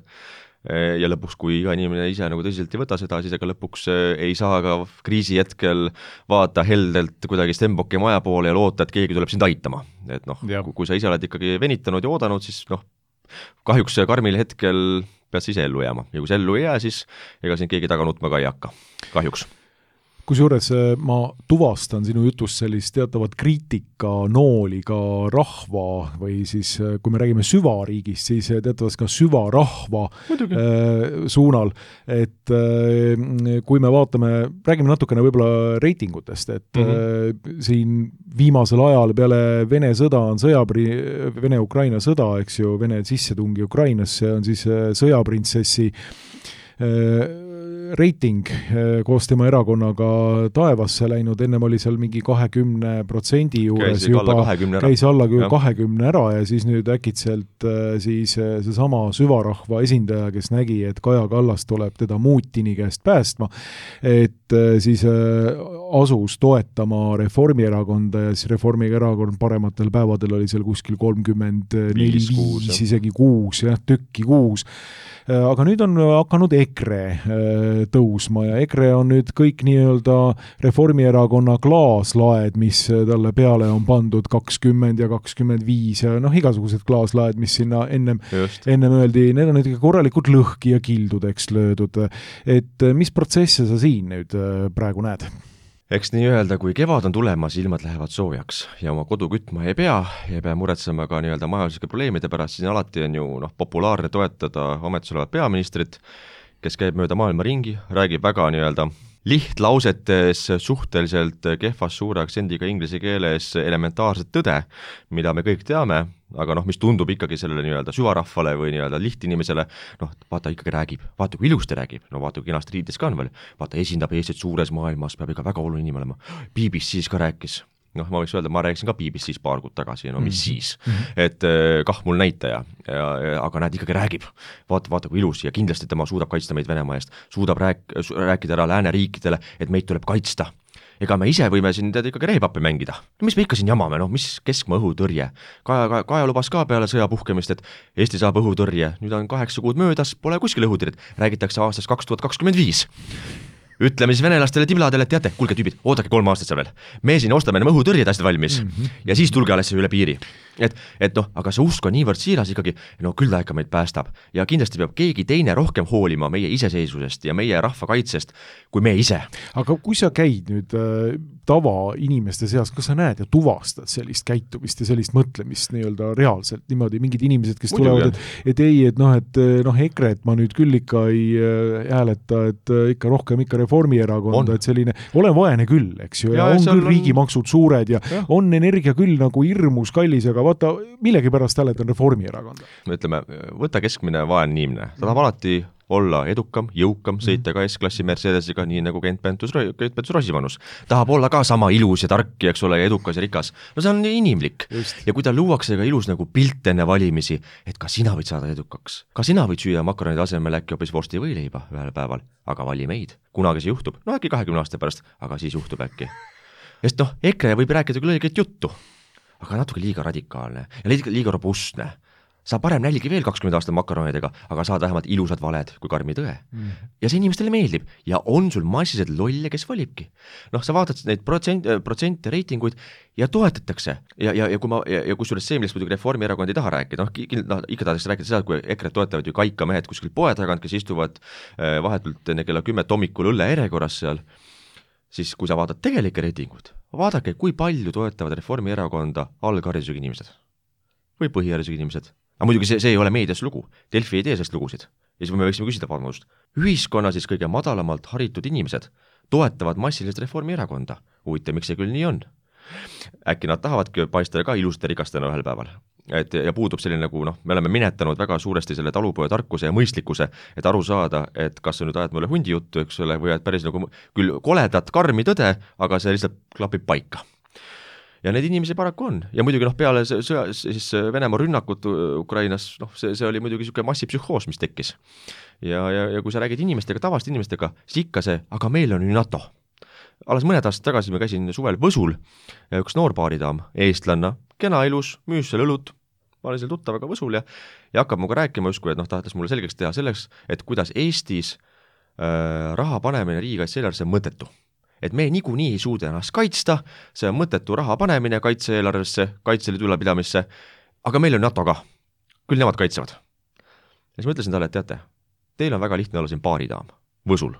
Ja lõpuks, kui iga inimene ise nagu tõsiselt ei võta seda, siis ega lõpuks ei saa ka kriisi hetkel vaata heldelt kuidagi Stenbocki maja poole ja loota, et keegi tuleb sind aitama. Et kui sa ise oled ikkagi venitanud ja oodanud, siis kahjuks karmil hetkel pead sa ise ellu jääma. Ja kui see ellu ei jää, siis ega siin keegi taga nutma ka ei hakka. Kahjuks. Kusjuures ma tuvastan sinu jutust sellist teatavat kriitika nooli ka rahva või siis, kui me räägime süvariigist, siis teatavast ka süvarahva suunal, et kui me räägime natukene võib-olla reitingutest, et siin viimasel ajal peale Vene sõda on Vene-Ukraina sõda, eks ju, Vene sissetungi Ukrainasse on siis sõjaprintsessi reiting koos tema erakonnaga taevasse läinud, ennem oli seal mingi 20% juures käis alla 20 ära ja siis nüüd äkitselt siis see sama süvarahva esindaja, kes nägi, et Kaja Kallas tuleb teda Mutini käest päästma, et siis asus toetama Reformierakonda ja siis Reformierakond parematel päevadel oli seal kuskil 34, isegi 6, tükki 6. Aga nüüd on hakanud EKRE tõusma ja EKRE on nüüd kõik nii-öelda Reformierakonna klaaslaed, mis talle peale on pandud 20 ja 25 ja igasugused klaaslaed, mis sinna ennem öeldi, need on nüüd korralikult lõhki ja kildudeks löödud. Et mis protsesse sa siin nüüd praegu näed? Eks nii öelda, kui kevad on tulemas, ilmad lähevad soojaks ja oma kodu kütma ei pea muretsema ka nii-öelda majanduslike probleemide pärast, siis alati on ju populaarne toetada ametis olevat peaministrit, kes käib mööda maailma ringi, räägib väga nii-öelda lihtlausetes suhteliselt kehvas suure aktsendiga inglise keeles elementaarset tõde, mida me kõik teame, aga mis tundub ikkagi sellele nii-öelda süvarahvale või nii-öelda lihtinimesele, vaata ikkagi räägib, vaata kui ilusti räägib, vaata kui kenast riides ka on veel, vaata esindab Eestit suures maailmas, peab ikka väga oluline inimene olema, BBC-s ka rääkis. Ma võiks öelda, ma rääkisin ka BBC-s paar kuud tagasi, mis siis, et kah mul näitaja, aga näed ikkagi räägib, vaata kui ilus ja kindlasti tema suudab kaitsta meid Venemaa eest, suudab rääkida ära lääneriikidele, et meid tuleb kaitsta ega me ise võime siin ikkagi rehepappi mängida. No mis me ikka siin jamame, mis keskmaa õhutõrje? Kaja lubas ka peale sõja puhkemist, et Eesti saab õhutõrje. Nüüd on 8 kuud möödas, pole kuskil õhutõrjet. Räägitakse aastast 2025. Ütleme siis venelastele tibladele, et teate, kuulge tüübid, oodake 3 aastat seal veel. Me siin ostame enam õhutõrjed asjad valmis ja siis tulge alles üle piiri. Aga see usk on niivõrd siiras ikkagi, küll ta ikka meid päästab. Ja kindlasti peab keegi teine rohkem hoolima meie iseseisvusest ja meie rahva kaitsest kui me ise. Aga kui sa käid nüüd tavainimeste seas, kas sa näed ja tuvastad sellist käitumist ja sellist mõtlemist nii-öelda reaalselt niimoodi, mingid inimesed, kes tulevad, et EKRE-t ma nüüd küll ikka ei hääleta, et ikka rohkem ikka Reformierakonda, et selline, olen vaene küll, eks ju, ja on küll riigimaksud suured ja on energia küll nagu hirmus kallis, aga vaata, millegi pärast hääletan Reformierakonda. Ütleme, võta keskmine vaene inimene, ta tahab alati olla edukam, jõukam, sõita ka S-klassi Mercedesiga, nii nagu Keit Pentus-Rosimannus. Tahab olla ka sama ilus ja tark, eks ole, ja edukas ja rikas. No see on inimlik. Just. Ja kui ta luuakse ka ilus nagu pilt enne valimisi, et ka sina võid saada edukaks. Ka sina võid süüa makaronide asemel äkki hoopis vorsti või leiba ühel päeval, aga vali meid. Kunagi see juhtub. No äkki 20 aasta pärast, aga siis juhtub äkki. Sest EKRE võib rääkida küll õiget juttu, aga natuke liiga radikaalne ja liiga robustne. Sa parem nälgi veel 20 aastat makaronidega, aga saad vähemalt ilusad valed kui karmi tõe. Ja see inimestele meeldib ja on sul massiliselt lolle, kes valibki. Sa vaatad neid protsente reitinguid ja toetatakse. Ja kui suures see, millest muidugi Reformierakond ei taha rääkida, ikka tahaks rääkida seda, kui EKRE toetavad ju kaikamehed kuskil poe tagant, kes istuvad vahetult enne kella 10 hommikul õlle järjekorras seal, siis kui sa vaatad tegelikke reitinguid, vaadake, kui palju toetavad Reformierakonda algharidusega inimesed või põhiharidusega inimesed. Aga muidugi see ei ole meedias lugu. Delfi ei tee sellest lugusid. Ja siis me võiksime küsida vabandust. Ühiskonna siis kõige madalamalt haritud inimesed toetavad massiliselt Reformierakonda. Huvitav, miks see küll nii on? Äkki nad tahavadki paista ka ilusate rikastena ühel päeval. Ja puudub selline nagu, me oleme minetanud väga suuresti selle talupoja tarkuse ja mõistlikkuse, et aru saada, et kas sa nüüd ajad mulle hundi juttu, eks ole, või et päris nagu küll koledat karmi tõde, aga see lihtsalt klapib paika. Ja need inimesi paraku on. Ja muidugi peale siis Venemaa rünnakut Ukrainas, see oli muidugi selline massipsühhoos, mis tekkis. Ja kui sa räägid inimestega, tavaliste inimestega, siis ikka see, aga meil on ju NATO. Alles mõned aastad tagasi me käisin suvel Võsul ja üks noor baaridaam, eestlanna, kena ilus, müüs seal õlut, ma olin seal tuttavaga Võsul ja hakkab muga rääkima justkui, et tahtes mulle selgeks teha selleks, et kuidas Eestis raha panemine riigikaitse-eelarvesse on mõttetu. Et me niikuinii ei suuda ennast kaitsta, see on mõttetu raha panemine kaitse-eelarvesse, kaitseliidu ülepidamisse, aga meil on NATO ka, küll nemad kaitsevad. Ja siis ma ütlesin talle, et teate, teil on väga lihtne olla siin baaridaam, Võsul.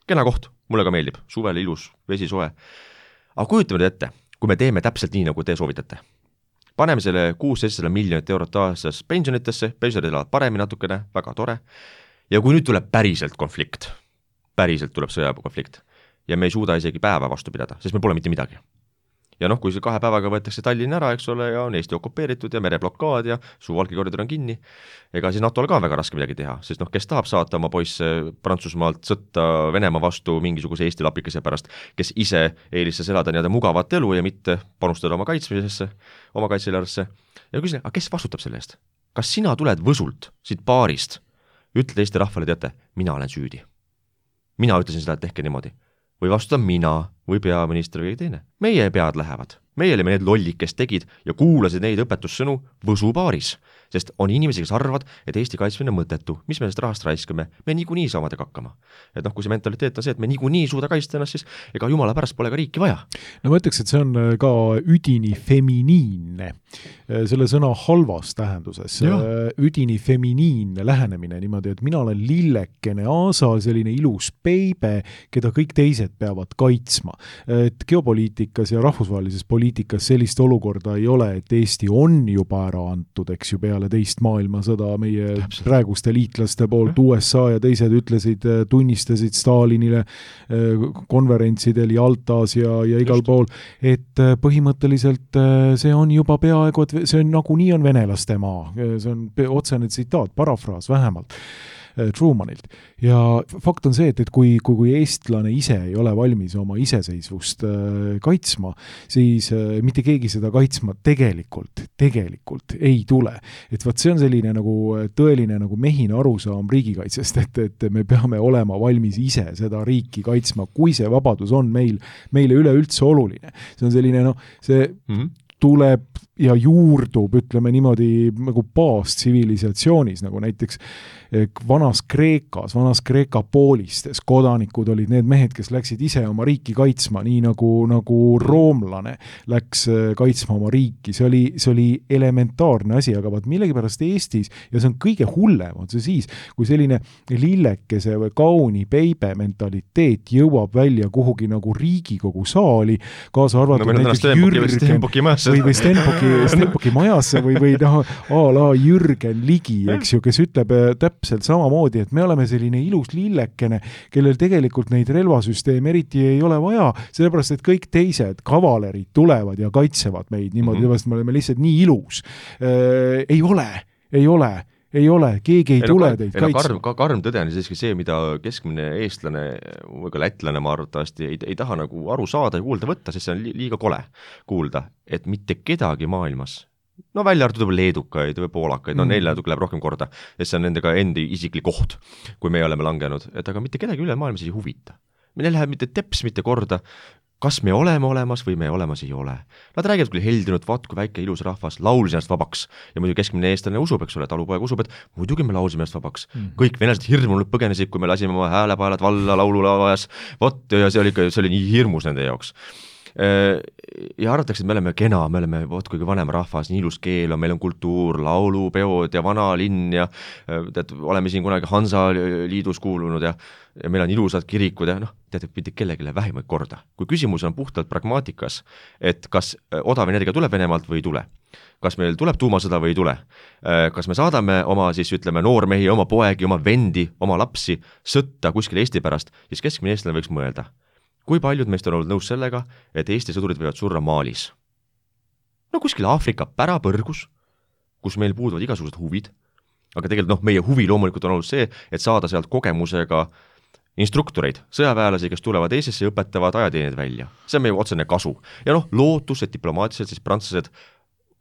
Kena koht, mulle ka meeldib, suvel ilus, vesi soe. Aga kujutame ette, kui me teeme täpselt nii, nagu te soovitate. Paneme selle 600 miljonit eurot aastas pensionitesse, pensionid elavad paremini natukene, väga tore. Ja kui nüüd tuleb päriselt konflikt, päriselt tuleb sõjakonflikt, ja me ei suuda isegi päeva vastu pidada, sest me pole mitte midagi. Ja kui see 2 päevaga võetakse Tallinn ära, eks ole, ja on Eesti okupeeritud ja mereblokaad ja Suwalki-koridor on kinni, ega siis NATO-l ka väga raske midagi teha, sest kes tahab saata oma poisse Prantsusmaalt sõtta Venemaa vastu mingisuguse Eesti lapikese pärast, kes ise eelistas elada nii-öelda mugavat elu ja mitte panustada oma kaitsmisesse, oma kaitseelarvesse. Ja küsin, aga kes vastutab selle eest? Kas sina tuled Võsult, siit baarist, ütled Eesti rahvale, teate, mina olen süüdi. Mina ütlesin seda, et tehke niimoodi. Või vastutan mina või peaminister või teine. Meie pead lähevad. Meie olime need lollid, kes tegid ja kuulasid neid õpetussõnu Võsu baaris. Sest on inimesi, kes arvavad, et Eesti kaitsmine on mõttetu. Mis me sellest rahast raiskame? Me niikuinii saamadega hakkama. Et kui see mentaliteet on see, et me niikuinii suuda kaitsta ennast, siis ega jumala pärast pole ka riiki vaja. No ma ütleks, et see on ka üdini feminiinne. Selle sõna halvas tähenduses. Üdini feminiinne lähenemine niimoodi, et mina olen lillekene aasa, selline ilus peibe, keda kõik teised peavad kaitsma. Et geopoliitikas ja rahvusvahelises poliitikas sellist olukorda ei ole, et Eesti on juba ära antud, eks ju, peale teist maailmasõda meie praeguste liitlaste poolt. USA ja teised ütlesid, tunnistasid Stalinile konverentsidel Jaltas ja igal pool, et põhimõtteliselt see on juba peaaegu, et see on nagu nii on venelaste maa. See on otsene tsitaat, parafraas vähemalt. Trumanilt. Ja fakt on see, et kui eestlane ise ei ole valmis oma iseseisvust kaitsma, siis mitte keegi seda kaitsma tegelikult ei tule. Et vaat see on selline nagu tõeline nagu mehine arusaam riigikaitsest, et me peame olema valmis ise seda riiki kaitsma, kui see vabadus on meile üleüldse oluline. See on selline, see tuleb ja juurdub, ütleme niimoodi, nagu baastsivilisatsioonis, nagu näiteks vanas Kreeka poolistes kodanikud olid need mehed, kes läksid ise oma riiki kaitsma, nii nagu roomlane läks kaitsma oma riiki. See oli elementaarne asi, aga vaat millegipärast Eestis, ja see on kõige hullem, on see siis, kui selline lillekese või kauni peibe mentaliteet jõuab välja kuhugi nagu Riigikogu saali, kaasa arvatud näiteks Jürgen või Stenbocki majasse või a la Jürgen Ligi, eks ju, kes ütleb täpselt samamoodi, et me oleme selline ilus lillekene, kellel tegelikult neid relvasüsteeme eriti ei ole vaja, sellepärast, et kõik teised kavalerid tulevad ja kaitsevad meid niimoodi, me oleme lihtsalt nii ilus. Ei ole, keegi ei tule teid kaitsema. Karm tõde on siiski see, mida keskmine eestlane või ka lätlane ma arvatavasti ei taha nagu aru saada ja kuulda võtta, sest see on liiga kole kuulda, et mitte kedagi maailmas, välja arvatud või leedukaid või poolakaid, neile läheb rohkem korda, sest see on nendega endi isiklik koht, kui me oleme langenud, et aga mitte kedagi üle maailmas ei huvita. Meil läheb mitte teps mitte korda, kas me oleme olemas või me olemas ei ole. Nad räägivad küll heldinud, vaat kui väike ilus rahvas, laulis ennast vabaks. Ja muidu keskmine eestlane usub, eks ole, talupoeg usub, et muidugi me laulsime ennast vabaks. Kõik venelased hirmunud põgenesid, kui me lasime oma häälepaelad valla laululavajas. Ja see oli nii hirmus nende jaoks. Ja arvatakse, et me oleme kena, me oleme kuigi vanem rahvas, nii ilus keel on, meil on kultuur, laulupeod ja vana linn ja oleme siin kunagi Hansa liidus kuulunud ja meil on ilusad kirikud ja teate, mitte kellegile vähimaid korda. Kui küsimus on puhtalt pragmaatikas, et kas odav energia tuleb Venemaalt või ei tule, kas meil tuleb tuumasõda või ei tule, kas me saadame oma noormehi, oma poegi, oma vendi, oma lapsi sõtta kuskil Eesti pärast, siis keskmine eestlane võiks mõelda. Kui paljud meist on olnud nõus sellega, et Eesti sõdurid võivad surra Malis? Kuskil Aafrika pärapõrgus, kus meil puuduvad igasugused huvid, aga tegelikult meie huvi loomulikult on olnud see, et saada sealt kogemusega instruktoreid, sõjaväelasi, kes tulevad Eestisse ja õpetavad ajateenid välja. See on meie otsene kasu. Ja lootus, et diplomaatiliselt siis prantslased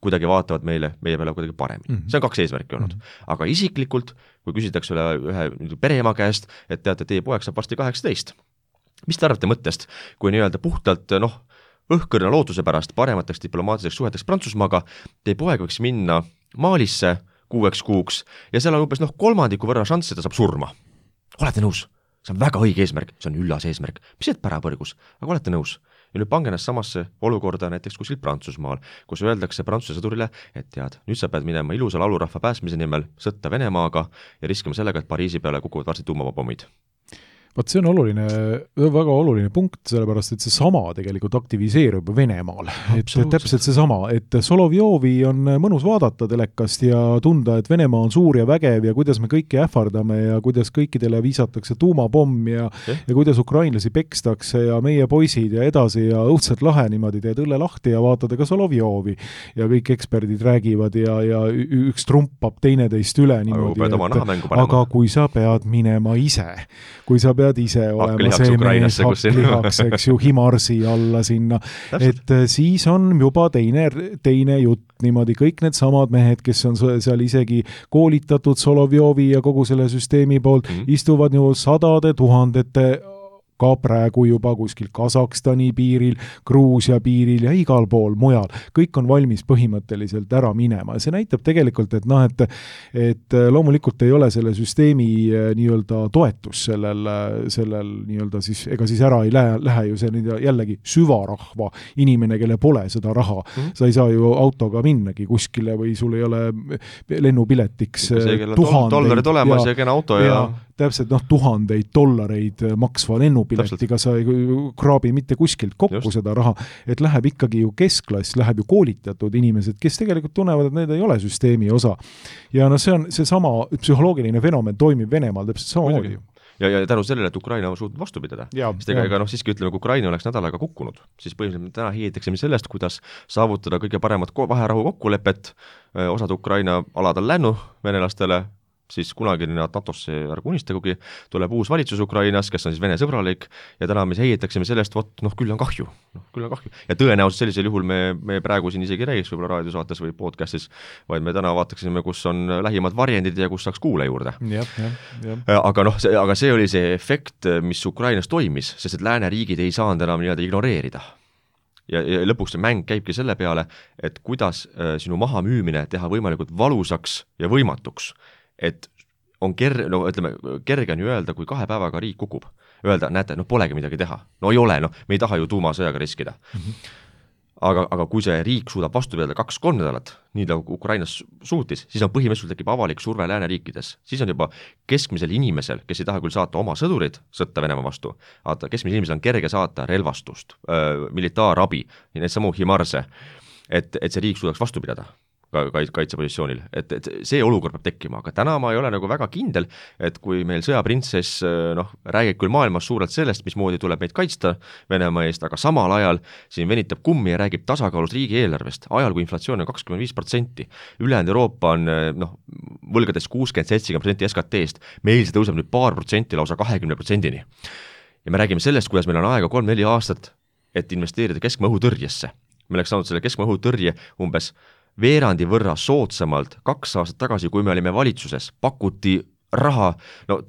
kuidagi vaatavad meie peale kuidagi paremini. See on 2 eesmärki olnud. Aga isiklikult, kui küsitakse ühe pereema käest, et teate, teie poeg saab varsti 18. Mis te arvate mõttest, kui nii-öelda puhtalt õhkõrna lootuse pärast paremateks diplomaatiliseks suheteks Prantsusmaaga, teie poeg võiks minna Malisse 6 kuuks ja seal on umbes 3% võrra šanss, et ta saab surma. Olete nõus? See on väga õige eesmärk, see on üllas eesmärk. Mis et pärapõrgus? Aga olete nõus? Ja nüüd pange ennast samasse olukorda näiteks kuskil Prantsusmaal, kus öeldakse Prantsuse sõdurile, et tead, nüüd sa pead minema ilusa laulurahva pääsmise nimel sõtta Venemaaga ja riskima sellega, et Pariisi peale kukuvad varsti tuumapommid. Vaat see on oluline, väga oluline punkt, sellepärast, et see sama tegelikult aktiviseerub Venemaal. Et täpselt see sama, et Solovjovi on mõnus vaadata telekast ja tunda, et Venemaa on suur ja vägev ja kuidas me kõiki ähvardame ja kuidas kõikidele viisatakse tuumapomm ja kuidas ukrainlasi pekstakse ja meie poisid ja edasi ja õudselt lahe niimoodi teed õlle lahti ja vaatada ka Solovjovi ja kõik eksperdid räägivad ja üks trumpab teineteist üle niimoodi, aga kui sa pead minema ise, kui sa pead ise olema see mees hakklihaks, eks ju, Himarsi alla sinna, et siis on juba teine jutt niimoodi, kõik need samad mehed, kes on seal isegi koolitatud Solovjovi ja kogu selle süsteemi poolt, istuvad ju 100 000 ka praegu juba kuskil Kasahstani piiril, Gruusia piiril ja igal pool mujal. Kõik on valmis põhimõtteliselt ära minema. Ja see näitab tegelikult, et loomulikult ei ole selle süsteemi nii-öelda toetus sellel nii-öelda siis, ega siis ära ei lähe ju see jällegi süvarahva inimene, kelle pole seda raha. Sa ei saa ju autoga minnagi kuskile või sul ei ole lennupiletiks $1000 olemas ja kena auto ja täpselt $1000 maksva lennupiletiga sa ei kraabi mitte kuskilt kokku seda raha, et läheb ikkagi ju keskklass, läheb ju koolitatud inimesed, kes tegelikult tunnevad, et need ei ole süsteemi osa. Ja see on see sama psühholoogiline fenomen toimib Venemaal täpselt samamoodi. Ja tänu sellele, et Ukraina on suutnud vastu pidada. Sest ega siiski ütleme, kui Ukraina oleks nädalaga kukkunud, siis põhimõtteliselt täna hiilitaksime sellest, kuidas saavutada kõige paremat vaherahu kokkulepet, osad Ukraina alad on lännu venelastele, siis kunagi nad NATO-sse ärgu unistagugi, tuleb uus valitsus Ukrainas, kes on siis Vene sõbralik ja täna me heietaksime sellest, küll on kahju. Ja tõenäoliselt sellisel juhul me praegu siin isegi räägiks võib-olla raadiosaates või podcastis, vaid me täna vaataksime, kus on lähimad varjendid ja kus saaks kuule juurde. Aga see oli see efekt, mis Ukrainas toimis, sest et lääneriigid ei saanud enam nii-öelda ignoreerida. Ja lõpuks see mäng käibki selle peale, et kuidas sinu mahamüümine teha võimalikult valusaks ja võimatuks, et on kerge on ju öelda, kui 2 päevaga riik kukub. Öelda, näete, polegi midagi teha. No ei ole, me ei taha ju tuumasõjaga riskida. Aga kui see riik suudab vastu pidada 2-3 nädalat, nii nagu Ukrainas suutis, siis on põhimõtteliselt tekib avalik surve lääneriikides. Siis on juba keskmisel inimesel, kes ei taha küll saata oma sõdurid sõtta Venemaa vastu, aga keskmisel inimesel on kerge saata relvastust, militaarabi, need samu Himarse, et see riik suudaks vastu pidada kaitsepositsioonil, et see olukord peab tekkima, aga täna ma ei ole nagu väga kindel, et kui meil sõjaprintsess räägib küll maailmas suurelt sellest, mismoodi tuleb meid kaitsta Venemaa eest, aga samal ajal siin venitab kummi ja räägib tasakaalus riigieelarvest, ajal kui inflatsioon on 25%, ülejäänud Euroopa on võlgades 60-70% SKT-st, meil see tõuseb nüüd paar protsenti lausa 20%-ni. Ja me räägime sellest, kuidas meil on aega 3-4 aastat, et investeerida keskmaa õhutõrjesse. Me oleks saanud selle keskmaa õhutõrje umbes veerandi võrra soodsamalt 2 aastat tagasi, kui me olime valitsuses, pakuti raha,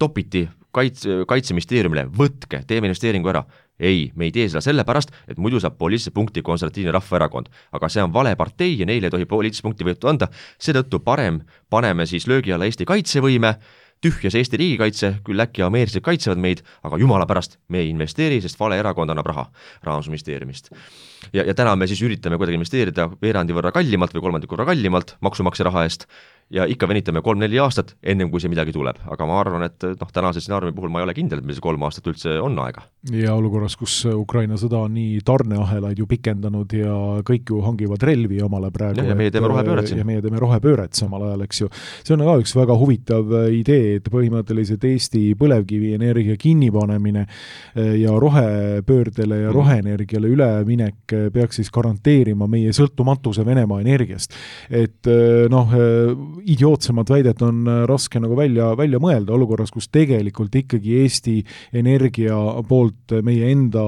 topiti kaitseministeeriumile, võtke, teeme investeeringu ära. Ei, me ei tee seda sellepärast, et muidu saab poliitilise punkti konservatiivne rahvaerakond. Aga see on vale partei ja neile ei tohi poliitilise punkti võetud anda. Seetõttu parem paneme siis löögi alla Eesti kaitsevõime, tühjas Eesti riigikaitse, küll äkki ameeriklased kaitsevad meid, aga jumala pärast me ei investeeri, sest vale erakond annab raha Rahandusministeeriumist. Ja täna me siis üritame kuidagi investeerida veerandi võrra kallimalt või kolmandiku võrra kallimalt maksumaksja raha eest ja ikka venitame 3-4 aastat ennem kui see midagi tuleb. Aga ma arvan, et tänase stsenaariumi puhul ma ei ole kindel, et meil see 3 aastat üldse on aega. Ja olukorras, kus Ukraina sõda on nii tarneahelaid ju pikendanud ja kõik ju hangivad relvi omale praegu. Ja meie teeme rohepööret siin. Ja meie teeme rohepööret samal ajal, eks ju. See on ka üks väga huvitav idee, et põhimõtteliselt Eesti põlevkivienergia kinnipanemine ja rohepöördele ja roheenergiale üleminek peaks siis garanteerima meie sõltumatuse Venemaa energiast. Et idiootsemad väidet on raske nagu välja mõelda olukorras, kus tegelikult ikkagi Eesti Energia poolt, meie enda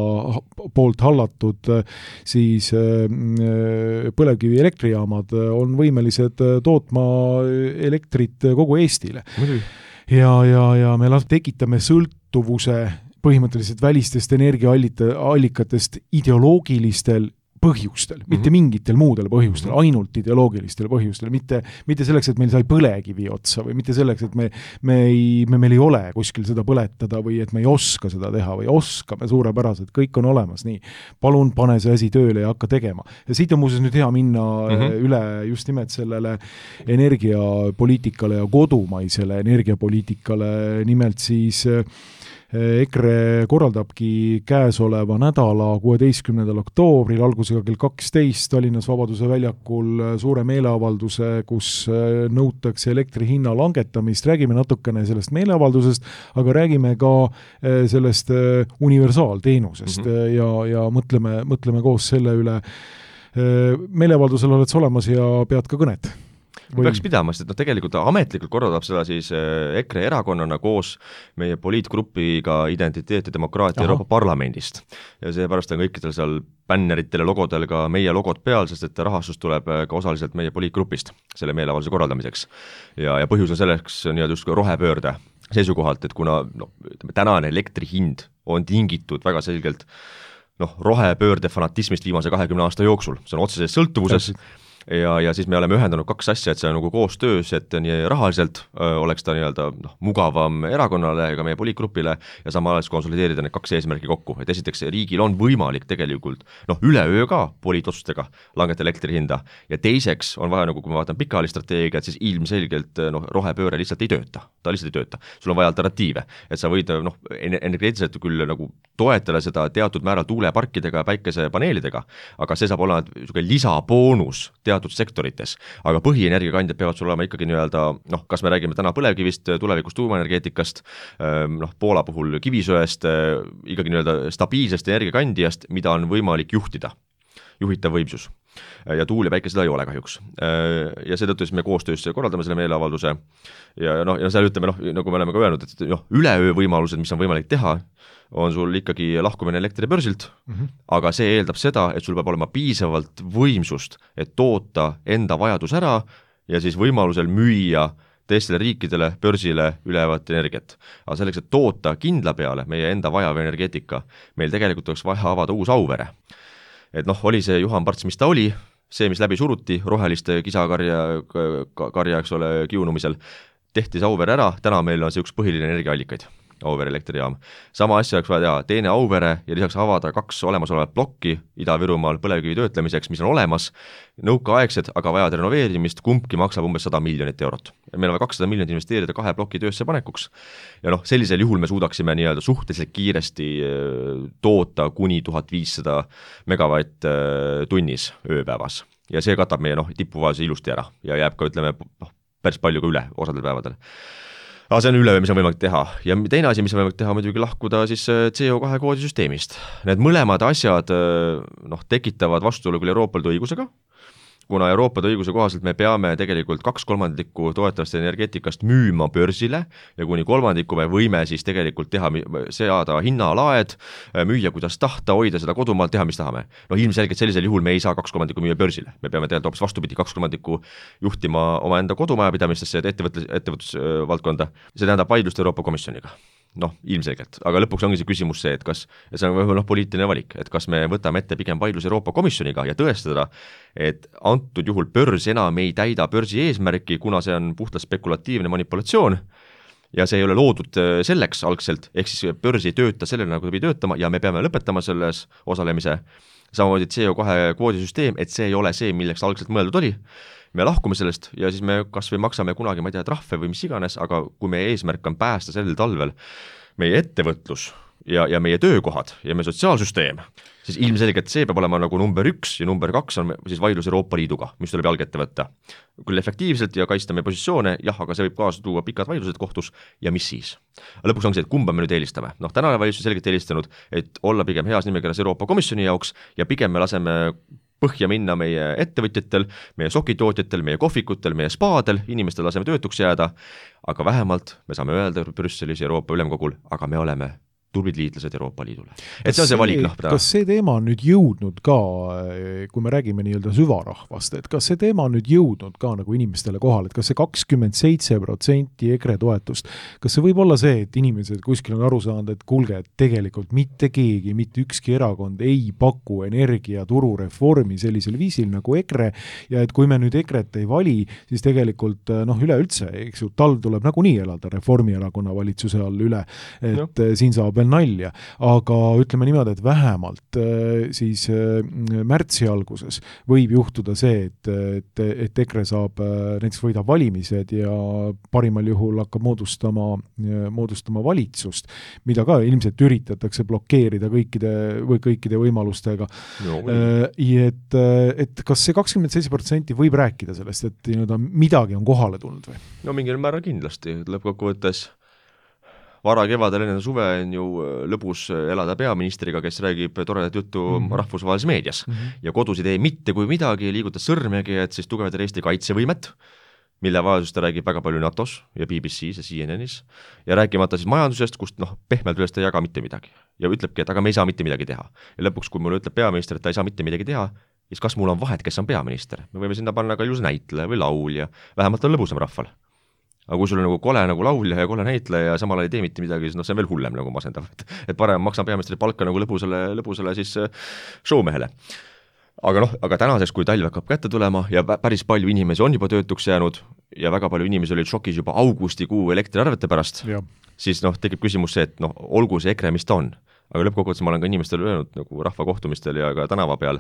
poolt hallatud siis põlevkivi elektrijaamad on võimelised tootma elektrit kogu Eestile. Ja me tekitame sõltuvuse põhimõtteliselt välistest energiaallikatest ideoloogilistel põhjustel, mitte mingitel muudel põhjustel, ainult ideoloogilistel põhjustel, mitte selleks, et meil sai põlekivi otsa või mitte selleks, et meil ei ole kuskil seda põletada või et me ei oska seda teha või oskame suurepäraselt, kõik on olemas, nii. Palun pane see asi tööle ja hakka tegema. Ja siit on muuseas nüüd hea minna üle just nimelt sellele energiapoliitikale ja kodumaisele energiapoliitikale, nimelt siis EKRE korraldabki käesoleva nädala 16. oktoobril algusega kell 12 Tallinnas Vabaduse väljakul suure meeleavalduse, kus nõutakse elektri hinna langetamist. Räägime natukene sellest meeleavaldusest, aga räägime ka sellest universaalteenusest ja mõtleme koos selle üle. Meeleavaldusel oled sa olemas ja pead ka kõnet. Peaks pidama, sest tegelikult ametlikult korraldab seda siis EKRE erakonnana koos meie poliitgrupiga Identiteet ja demokraatia Euroopa Parlamendist. Ja seepärast on kõikidel seal bänneritel ja logodel ka meie logod peal, sest et rahastus tuleb ka osaliselt meie poliitgrupist selle meeleavalduse korraldamiseks. Ja põhjus on selleks just rohepöörde seisukohalt, et kuna tänane elektri hind on tingitud väga selgelt rohepöörde fanatismist viimase 20 aasta jooksul. See on otseses sõltuvuses. Ja siis me oleme ühendanud 2 asja, et see on nagu koostöös, et nii rahaliselt oleks ta nii-öelda mugavam erakonnale ja ka meie poliitgrupile ja samal ajal konsolideerida need 2 eesmärki kokku. Et esiteks riigil on võimalik tegelikult üleöö ka poliitotsustega langeta elektri hinda ja teiseks on vaja, kui ma vaatan pikaajalist strateegiat, siis ilmselgelt rohepööre lihtsalt ei tööta. Ta lihtsalt ei tööta. Sul on vaja alternatiive, et sa võid energeetiliselt küll toetada seda teatud määral tuuleparkidega ja päikesepaneelidega, aga see saab olla lisaboonus teatud sektorites, aga põhienergiakandjad peavad sul olema ikkagi nii-öelda, kas me räägime täna põlevkivist, tulevikus tuumaenergeetikast, Poola puhul kivisöest, ikkagi nii-öelda stabiilsest energiakandjast, mida on võimalik juhtida, juhitav võimsus. ja tuul ja päike seda ei ole kahjuks. Ja seetõttu siis me koostöös korraldame selle meeleavalduse ja seal ütleme, nagu me oleme ka öelnud, et üleöö võimalused, mis on võimalik teha, on sul ikkagi lahkumine elektribörsilt, aga see eeldab seda, et sul peab olema piisavalt võimsust, et toota enda vajadus ära ja siis võimalusel müüa teistele riikidele, börsile ülevat energiat. Aga selleks, et toota kindla peale meie enda vajav energeetika, meil tegelikult oleks vaja avada uus Auvere. Et oli see Juhan Parts, mis ta oli, see, mis läbi suruti, roheliste kisakarja, eks ole, kiunumisel, tehti see Auvere ära, täna meil on see üks põhiline energiaallikaid. Auvere elektrijaam. Sama asja oleks vaja teha, teine Auvere ja lisaks avada 2 olemasolevat plokki Ida-Virumaal põlevkivi töötlemiseks, mis on olemas, nõukaaegsed, aga vajad renoveerimist, kumbki maksab umbes 100 miljonit eurot. Meil on 200 miljonit investeerida 2 ploki töösse panekuks. Ja sellisel juhul me suudaksime nii-öelda suhteliselt kiiresti toota kuni 1500 megavatt tunnis ööpäevas. Ja see katab meie tipuvaase ilusti ära ja jääb ka, ütleme, päris palju ka üle osadel päevadel. Aga see on üleöö, mis on võimalik teha. Ja teine asi, mis on võimalik teha, muidugi lahkuda siis CO2 koodisüsteemist. Need mõlemad asjad tekitavad vastuolu küll Euroopa Liidu õigusega, kuna Euroopa Liidu õiguse kohaselt me peame tegelikult 2/3 toetavast energeetikast müüma börsile ja kuni 1/3 me võime siis tegelikult seada hinnalaed, müüa kuidas tahta, hoida seda kodumaalt, teha mis tahame. Ilmselgelt sellisel juhul me ei saa 2/3 müüa börsile. Me peame tegelikult hoopis vastupidi 2/3 juhtima oma enda kodumajapidamistesse ja ettevõtlusvaldkonda. See tähendab vaidlust Euroopa Komisjoniga. Ilmselgelt, aga lõpuks ongi see küsimus see, et kas, ja see on võib-olla poliitiline valik, et kas me võtame ette pigem vaidlus Euroopa Komisjoniga ja tõestada, et antud juhul börs enam ei täida börsi eesmärki, kuna see on puhtalt spekulatiivne manipulatsioon ja see ei ole loodud selleks algselt, ehk siis börs ei tööta sellele, nagu ta pidi töötama ja me peame lõpetama selles osalemise, samamoodi CO2 kvoodisüsteem, et see ei ole see, milleks algselt mõeldud oli. Me lahkume sellest ja siis me kas või maksame kunagi, ma ei tea, trahve või mis iganes, aga kui meie eesmärk on päästa sellel talvel meie ettevõtlus ja meie töökohad ja meie sotsiaalsüsteem, siis ilmselgelt see peab olema nagu number 1 ja number 2 on siis vaidlus Euroopa Liiduga, mis tuleb jalg ette võtta. Küll efektiivselt ja kaitsta meie positsioone, aga see võib kaasa tuua pikad vaidlused kohtus ja mis siis? Lõpuks on see, et kumba me nüüd eelistame. Tänane valitsus selgelt eelistanud, et olla pigem heas nimekirjas Euroopa Komisjoni jaoks ja pigem me laseme põhja minna meie ettevõtjatel, meie sokitootjatel, meie kohvikutel, meie spaadel, inimestel laseme töötuks jääda, aga vähemalt me saame öelda Brüsselis ja Euroopa Ülemkogul, aga me oleme tublid liitlased Euroopa Liidule. Et see on see valik, kas see teema on nüüd jõudnud ka, kui me räägime nii-öelda süvarahvast, et kas see teema on nüüd jõudnud ka nagu inimestele kohal, et kas see 27% EKRE toetust, kas see võib olla see, et inimesed kuskil on aru saanud, et kuulge, et tegelikult mitte keegi, mitte ükski erakond ei paku energiaturureformi sellisel viisil nagu EKRE ja et kui me nüüd EKRE-t ei vali, siis tegelikult üleüldse, eks ju, talv tuleb nagunii elada Reformierakonna valitsuse all üle, et siin saab nalja, aga ütleme niimoodi, et vähemalt siis märtsi alguses võib juhtuda see, et EKRE saab, näiteks võidab valimised ja parimal juhul hakkab moodustama valitsust, mida ka ilmselt üritatakse blokeerida kõikide võimalustega. Et kas see 27% võib rääkida sellest, et midagi on kohale tulnud või? Mingil määral kindlasti, lõppkokkuvõttes vara kevadel enne suve on ju lõbus elada peaministriga, kes räägib toredat juttu rahvusvahelises meedias ja kodus ei tee mitte kui midagi, liigutas sõrmegi, et siis tugevdada Eesti kaitsevõimet, mille vajadust ta räägib väga palju NATOs ja BBC-s ja CNN-is ja rääkimata siis majandusest, kust pehmelt üles ta ei jaga mitte midagi ja ütlebki, et aga me ei saa mitte midagi teha. Ja lõpuks, kui mulle ütleb peaminister, et ta ei saa mitte midagi teha, siis kas mul on vahet, kes on peaminister? Me võime sinna panna ka ilus näitleja või laulja, vähemalt on lõbusam rahval. Aga kui sul on kole laulja ja kole näitleja ja samal ei tee mitte midagi, siis see on veel hullem masendav. Et parem maksan peaministri palka lõbusale siis showmehele. Aga tänaseks, kui talv hakkab kätte tulema ja päris palju inimesi on juba töötuks jäänud ja väga palju inimesi olid šokis juba augustikuu elektriarvete pärast, siis tekib küsimus see, et olgu see EKRE, mis ta on. Aga lõppkokkuvõttes ma olen ka inimestele öelnud nagu rahvakohtumistel ja ka tänava peal,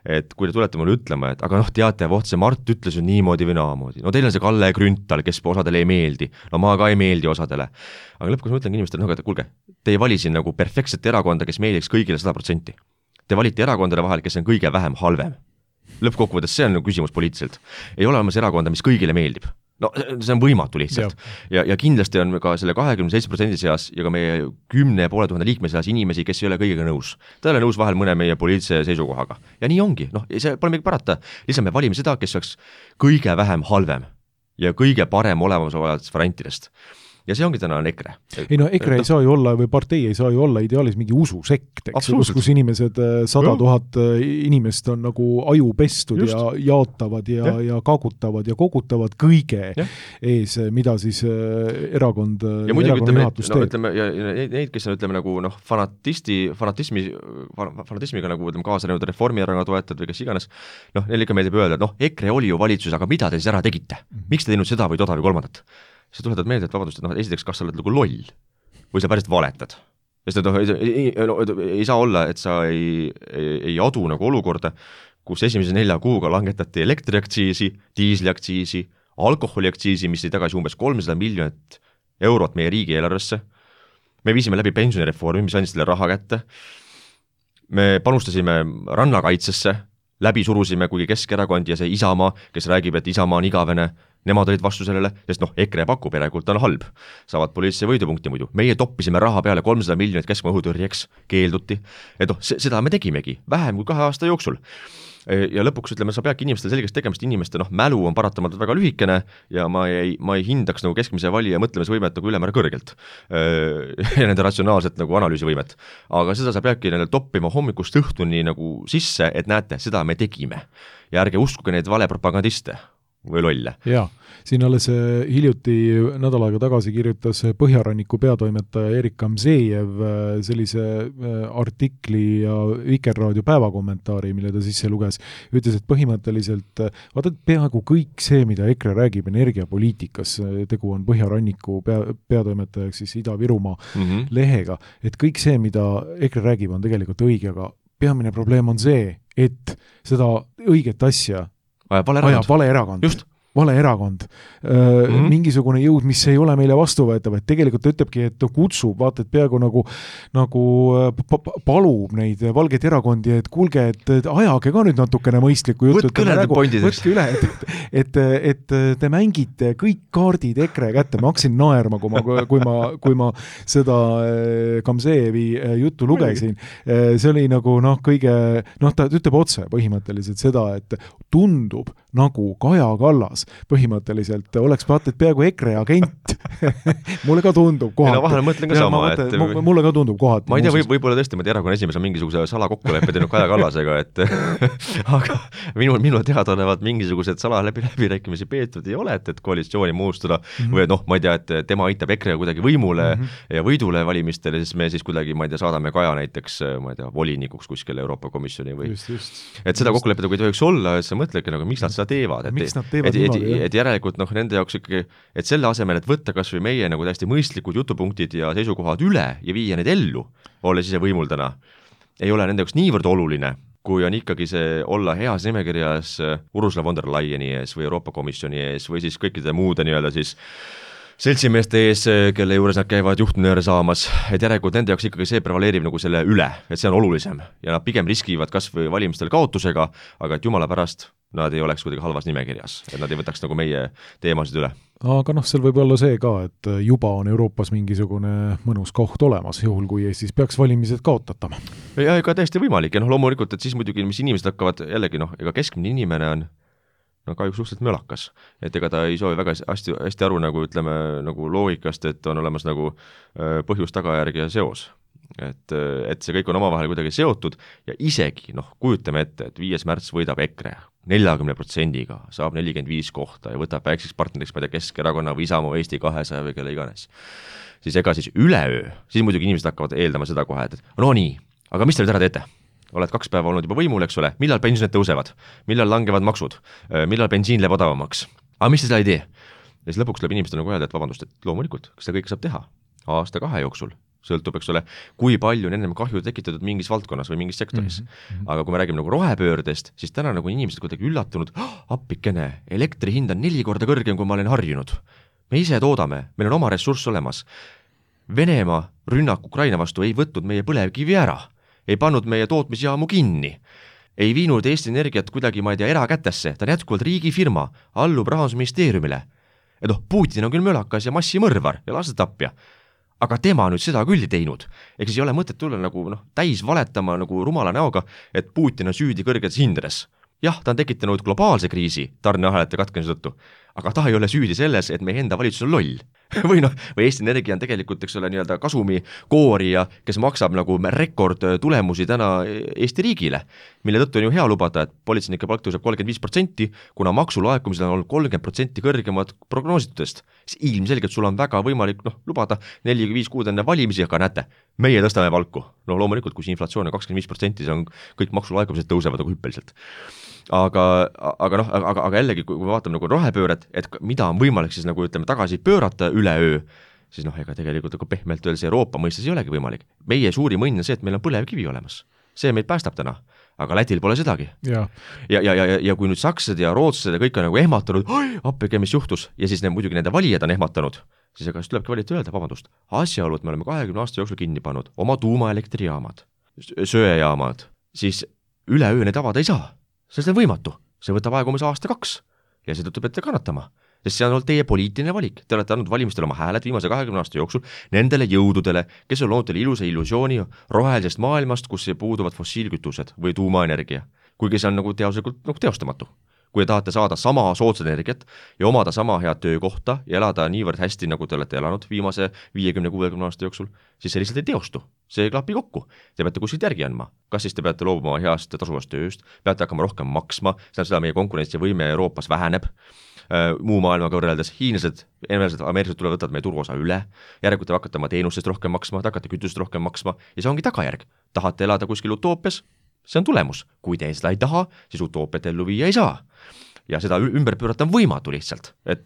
et kui te tulete mulle ütlema, et aga teate, see Mart ütles ju niimoodi või naamoodi. Teil on see Kalle Grünthal, kes osadele ei meeldi. Ma ka ei meeldi osadele. Aga lõpuks ma ütlen inimestele, et kuulge, te ei vali siin nagu perfektset erakonda, kes meeldiks kõigile 100%. Te valite erakondade vahel, kes on kõige vähem halvem. Lõppkokkuvõttes see on küsimus poliitiliselt. Ei ole olemas erakonda, mis kõigile meeldib. no see on võimatu lihtsalt. Ja kindlasti on ka selle 27% seas ja ka meie 10 500 liikme seas inimesi, kes ei ole kõigega nõus. Ta ei ole nõus vahel mõne meie poliitilise seisukohaga. Ja nii ongi, see pole midagi parata. Lihtsalt me valime seda, kes oleks kõige vähem halvem ja kõige parem olemasolevatest variantidest. Ja see ongi täna on EKRE. Ei no EKRE ei saa ju olla või partei ei saa ju olla ideaalis mingi ususekt, kus inimesed 100 000 inimest on nagu aju pestud ja jaotavad ja kaagutavad ja kogutavad kõige ees, mida siis erakond juhatus teeb. Ütleme, ja neid, kes on ütleme nagu fanatismiga nagu kaasa näinud Reformierakonna toetajad või kes iganes, neil ikka meeldib öelda, et EKRE oli ju valitsus, aga mida te siis ära tegite? Miks te teinud seda või toda või kolmandat? Sa tuletad meelde, et vabandust, et esiteks, kas sa oled nagu loll või sa päriselt valetad. Sest ei saa olla, et sa ei adu nagu olukorda, kus esimese 4 kuuga langetati elektriaktsiisi, diisliaktsiisi, alkoholiaktsiisi, mis ei tagasi umbes 300 miljonit eurot meie riigieelarvesse. Me viisime läbi pensionireformi, mis andis selle raha kätte. Me panustasime rannakaitsesse, läbi surusime kuigi Keskerakond ja see Isamaa, kes räägib, et Isamaa on igavene, nemad olid vastu sellele, sest EKRE pakub järelikult on halb. Saavad poliitilise võidupunkti muidu. Meie toppisime raha peale 300 miljonit keskmaa õhutõrjeks, keelduti. Et seda me tegimegi vähem kui 2 aasta jooksul. Ja lõpuks ütleme, sa peadki inimestel selgeks tegemist, inimeste mälu on paratamatult väga lühikene ja ma ei hindaks nagu keskmise valija mõtlemisvõimet nagu ülemäära kõrgelt ja nende ratsionaalset nagu analüüsivõimet. Aga seda sa peadki toppima hommikust õhtuni nagu sisse, et näete, seda me tegime. Ja ärge uskuge neid valepropagandiste või lolle. Jaa, siin alles hiljuti nädal aega tagasi kirjutas Põhjaranniku peatoimetaja Erik Kamzejev sellise artikli ja Vikerraadio päevakommentaari, mille ta sisse luges. Ütles, et põhimõtteliselt vaata, peaaegu kõik see, mida EKRE räägib energiapoliitikas, tegu on Põhjaranniku peatoimetajaks siis Ida-Virumaa lehega, et kõik see, mida EKRE räägib, on tegelikult õige, aga peamine probleem on see, et seda õiget asja vale erakond. Just. Vale erakond. Mingisugune jõud, mis ei ole meile vastuvõetav, et tegelikult ütlebki, et kutsub, vaata, et peaaegu nagu palub neid valgeid erakondi, et kuulge, et ajage ka nüüd natukene mõistlikku juttu. Võtke üle, et te mängite kõik kaardid EKRE kätte. Ma hakkasin naerma, kui ma seda Kamzejevi juttu lugesin. See oli nagu kõige, ta ütleb otse põhimõtteliselt seda, et tundub nagu Kaja Kallas põhimõtteliselt oleks vaata, et peaaegu EKRE agent. Mulle ka tundub kohati. Vahel mõtlen ka sama, et mulle ka tundub kohati. Ma ei tea, võib-olla tõesti, ma erakonna esimees on mingisuguse salakokkuleppe teinud Kaja Kallasega, et aga minu teada olevat mingisugused läbirääkimisi peetud ei ole, et koalitsiooni moodustada või ma ei tea, et tema aitab EKRE kuidagi võimule ja võidule valimistele, siis me siis kuidagi, ma ei tea, saadame Kaja näiteks, ma ei tea, volinikuks kuskil Euroopa Komisjoni või et seda kokkulepet ei tohiks olla, et sa mõtledki, miks nad seda teevad, et järelikult nende jaoks ikkagi, et selle asemel, et võtta kas või meie nagu täiesti mõistlikud jutupunktid ja seisukohad üle ja viia need ellu, olles ise võimul täna, ei ole nende jaoks niivõrd oluline, kui on ikkagi see olla heas nimekirjas Ursula von der Leyeni ees või Euroopa Komisjoni ees või siis kõikide muude nii-öelda siis seltsimeeste ees, kelle juures nad käivad juhtnööre saamas, et järelikult nende jaoks ikkagi see prevaleerib nagu selle üle, et see on olulisem ja nad pigem riskivad kas või valimistel kaotusega, aga et jumala pärast nad ei oleks kuidagi halvas nimekirjas, et nad ei võtaks nagu meie teemasid üle. Aga seal võib olla see ka, et juba on Euroopas mingisugune mõnus koht olemas, juhul kui Eestis peaks valimised kaotatama. Ja ega täiesti võimalik ja loomulikult, et siis muidugi, mis inimesed hakkavad jällegi, ega keskmine inimene on kahjuks suhteliselt mölakas, et ega ta ei soovi väga hästi aru nagu ütleme nagu loogikast, et on olemas nagu põhjus, tagajärg ja seos. Et see kõik on omavahel kuidagi seotud ja isegi, kujutame ette, et 5. märts võidab EKRE 40%-ga, saab 45 kohta ja võtab väikseks partneriks, ma ei tea, Keskerakonna või Isamaa, Eesti 200 või kelle iganes. Siis ega siis üleöö, siis muidugi inimesed hakkavad eeldama seda kohe, et no nii, aga mis te nüüd ära teete? Oled 2 päeva olnud juba võimul, eks ole, millal pensionid tõusevad, millal langevad maksud, millal bensiin läheb odavamaks, aga mis te seda ei tee? Ja siis lõpuks tuleb inimestel nagu öelda, et vabandust, et loomulikult, kas seda kõike saab teha 1-2 jooksul, sõltub, eks ole, kui palju on ennem kahju tekitatud mingis valdkonnas või mingis sektoris. Aga kui me räägime nagu rohepöördest, siis täna nagu inimesed kuidagi üllatunud, appikene, elektri hind on 4 korda kõrgem, kui ma olen harjunud. Me ise toodame, meil on oma ressurss olemas. Venemaa rünnak Ukraina vastu ei võtnud meie põlevkivi ära, ei pannud meie tootmisjaamu kinni, ei viinud Eesti Energiat kuidagi, ma ei tea, erakätesse, ta on jätkuvalt riigifirma, allub Rahandusministeeriumile. et Putin on küll mölakas ja massimõrvar ja lasetapja, aga tema nüüd seda küll ei teinud. Ehk siis ei ole mõtet tulla nagu täis valetama nagu rumala näoga, et Putin on süüdi kõrgetes hindades. Jah, ta on tekitanud globaalse kriisi tarneahelate katkemise tõttu, aga ta ei ole süüdi selles, et meie enda valitsus on loll. või Eesti Energia on tegelikult, eks ole, nii-öelda kasumi koorija, kes maksab nagu rekord tulemusi täna Eesti riigile, mille tõttu on ju hea lubada, et politseinike palk tõuseb 35%, kuna maksulaekumisel on olnud 30% kõrgemad prognoositudest. Siis ilmselgelt sul on väga võimalik lubada 4-5 kuud enne valimisi, aga näete, meie tõstame palku. Loomulikult, kui see inflatsioon on 25%, see on kõik maksulaekumised tõusevad nagu hüppeliselt. Aga jällegi, kui me vaatame nagu rohepööret, et mida on võimalik siis nagu ütleme tagasi pöörata üleöö, siis ega tegelikult nagu pehmelt öeldes Euroopa mõistes ei olegi võimalik. Meie suurim õnn on see, et meil on põlevkivi olemas. See meid päästab täna, aga Lätil pole sedagi. Ja kui nüüd sakslased ja rootslased ja kõik on nagu ehmatanud, appige, mis juhtus, ja siis muidugi nende valijad on ehmatanud, siis aga tulebki valijad öelda, vabandust, asjaolu, et me oleme 20 aasta jooksul kinni pannud oma tuumaelektrijaamad, söejaamad, siis üleöö need avada ei saa. See on võimatu, see võtab aega umbes aasta-2 ja seetõttu peate kannatama, sest see on olnud teie poliitiline valik. Te olete andnud valimistel oma hääled viimase 20 aasta jooksul nendele jõududele, kes on loonud teile ilusa illusiooni rohelisest maailmast, kus puuduvad fossiilkütused või tuumaenergia, kuigi see on nagu teaduslikult teostamatu. Kui te tahate saada sama soodsat energiat ja omada sama head töökohta ja elada niivõrd hästi, nagu te olete elanud viimase 50-60 aasta jooksul, siis see lihtsalt ei teostu. See ei klapi kokku. Te peate kuskilt järgi andma. Kas siis te peate loobuma heast tasuvast tööst, peate hakkama rohkem maksma, seda meie konkurentsivõime Euroopas väheneb, muu maailmaga võrreldes hiinlased, ameeriklased tulevad võtavad meie turuosa üle, järelikult te hakkate oma teenustest rohkem maksma, te hakkate kütust rohkem maksma ja see ongi tagajärg. Tahate elada kuskil utoopias? See on tulemus. Kui te seda ei taha, siis utoopiat ellu viia ei saa. Ja seda ümber pöörata on võimatu lihtsalt. Et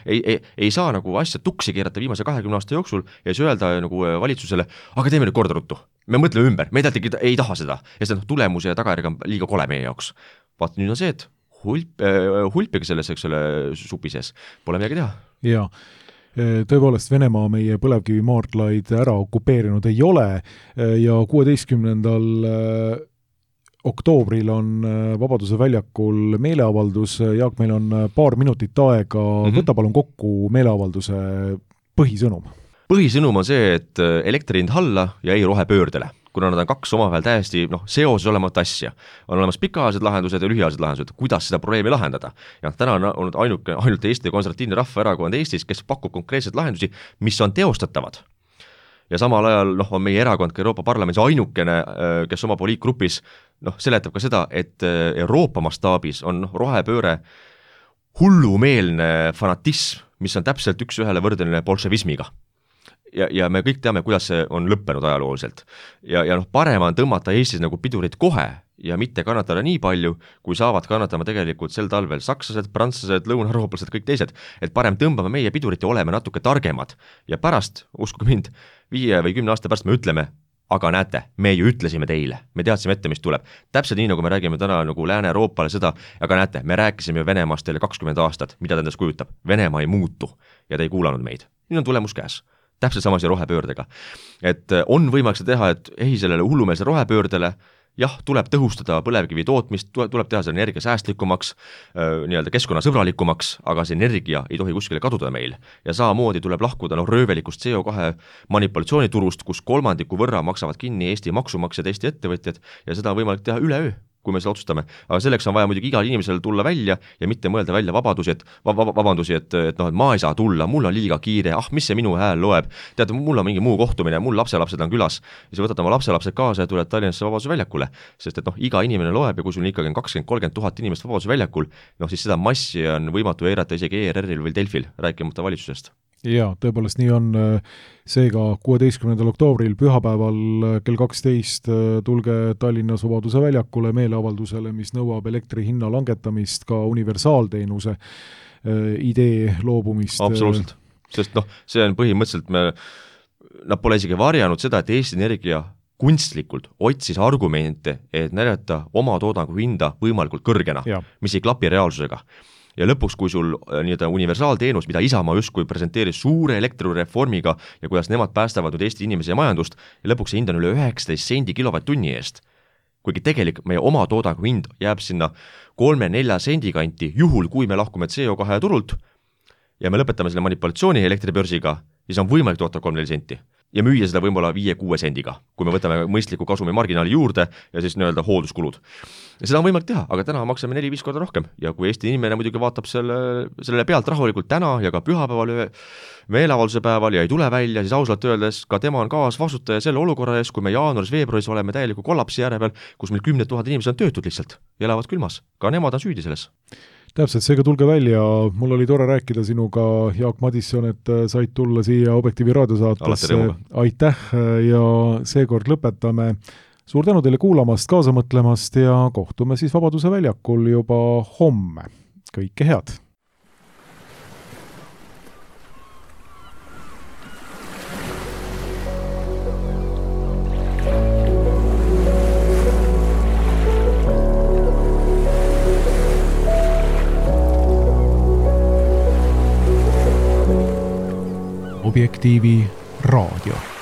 ei saa nagu asja tuksi keerata viimase 20 aasta jooksul ja siis öelda nagu valitsusele, aga teeme nüüd korda ruttu. Me mõtleme ümber, me ei taha seda. Ja see tulemus ja tagajärg on liiga kole meie jaoks. Vaata, nüüd on see, et hulpige selles, eks ole, supi sees. Pole midagi teha. Jaa. Tõepoolest Venemaa meie põlevkivimaardlaid ära okupeerinud ei ole ja 16. oktoobril on Vabaduse väljakul meeleavaldus. Jaak, meil on paar minutit aega. Võta palun kokku meeleavalduse põhisõnum. Põhisõnum on see, et elektri hind alla ja ei rohepöördele, kuna nad on kaks omavahel täiesti seoses olemat asja. On olemas pikaajalised lahendused ja lühiajalised lahendused, kuidas seda probleemi lahendada. Ja täna on olnud ainult Eesti Konservatiivne Rahvaerakond Eestis, kes pakub konkreetseid lahendusi, mis on teostatavad. Ja samal ajal on meie erakond ka Euroopa Parlamendis ainukene, kes oma poliitgrupis seletab ka seda, et Euroopa mastaabis on rohepööre hullumeelne fanatism, mis on täpselt üks ühele võrdeline bolševismiga. Ja me kõik teame, kuidas see on lõppenud ajalooliselt. Ja parem on tõmmata Eestis nagu pidurit kohe ja mitte kannatada nii palju, kui saavad kannatama tegelikult sel talvel sakslased, prantslased, lõunaeurooplased, kõik teised. Et parem tõmbame meie pidurit ja oleme natuke targemad. Ja pärast, uskuge mind, 5 või 10 aasta pärast me ütleme, aga näete, me ju ütlesime teile, me teadsime ette, mis tuleb. Täpselt nii, nagu me räägime täna nagu Lääne-Euroopale seda, aga näete, me rääkisime Venemaast teile 20 aastat, mida ta endast kujutab. Venemaa ei muutu ja ta ei kuulanud meid. Nüüd on tulemus käes. Täpselt samas ja rohepöördega. Et on võimalik seda teha, et sellele hullumeelse rohepöördele, jah, tuleb tõhustada põlevkivi tootmist, tuleb teha see energia säästlikumaks, nii-öelda keskkonnasõbralikumaks, aga see energia ei tohi kuskile kaduda meil. Ja samamoodi tuleb lahkuda röövelikust CO2 manipulatsiooniturust, kus 1/3 võrra maksavad kinni Eesti maksumaksjad, Eesti ettevõtjad ja seda on võimalik teha üleöö, kui me seda otsustame. Aga selleks on vaja muidugi igal inimesel tulla välja ja mitte mõelda välja vabandusi, et ma ei saa tulla, mul on liiga kiire, mis see minu hääl loeb, tead, mul on mingi muu kohtumine, mul lapselapsed on külas ja sa võtad oma lapselapsed kaasa ja tuled Tallinnasse Vabaduse väljakule, sest et iga inimene loeb ja kui sul ikkagi on 20-30 000 inimest Vabaduse väljakul, siis seda massi on võimatu eirata isegi ERR-il või Delfil, rääkimata valitsusest. Jaa, tõepoolest nii on. Seega 16. oktoobril pühapäeval kell 12 tulge Tallinnas Vabaduse väljakule meeleavaldusele, mis nõuab elektri hinna langetamist, ka universaalteenuse idee loobumist. Absoluutselt, sest see on põhimõtteliselt, nad pole isegi varjanud seda, et Eesti Energia kunstlikult otsis argumente, et näidata oma toodangu hinda võimalikult kõrgena, mis ei klapi reaalsusega. Ja lõpuks, kui sul universaalteenus, mida Isamaa justkui presenteeris suure elektrireformiga ja kuidas nemad päästavad nüüd Eesti inimese ja majandust, ja lõpuks see hind on üle 19 sendi kilovatt-tunni eest. Kuigi tegelik meie oma toodangu hind jääb sinna 3-4 sendi kanti, juhul kui me lahkume CO2 turult, ja me lõpetame selle manipulatsiooni elektribörsiga, siis on võimalik toota 3-4 senti. Ja müüa seda võib-olla 5-6 sendiga, kui me võtame mõistliku kasumi marginaali juurde ja siis nii-öelda hoolduskulud. Ja seda on võimalik teha, aga täna maksame 4-5 korda rohkem ja kui Eesti inimene muidugi vaatab sellele pealt rahulikult täna ja ka pühapäeval meeleavalduse päeval ja ei tule välja, siis ausalt öeldes ka tema on kaasvastutaja selle olukorra ees, kui me jaanuaris-veebruaris oleme täieliku kollapsi järje peal, kus meil 10 000 inimesed on töötud lihtsalt ja elavad külmas. Ka nemad on süüdi selles. Täpselt, seega tulge välja, mul oli tore rääkida sinuga, Jaak Madisson, et said tulla siia Objektiivi raadiosaatesse. Aitäh ja seekord lõpetame. Suur tänu teile kuulamast, kaasa mõtlemast ja kohtume siis Vabaduse väljakul juba homme. Kõike head! Objektiivi raadio.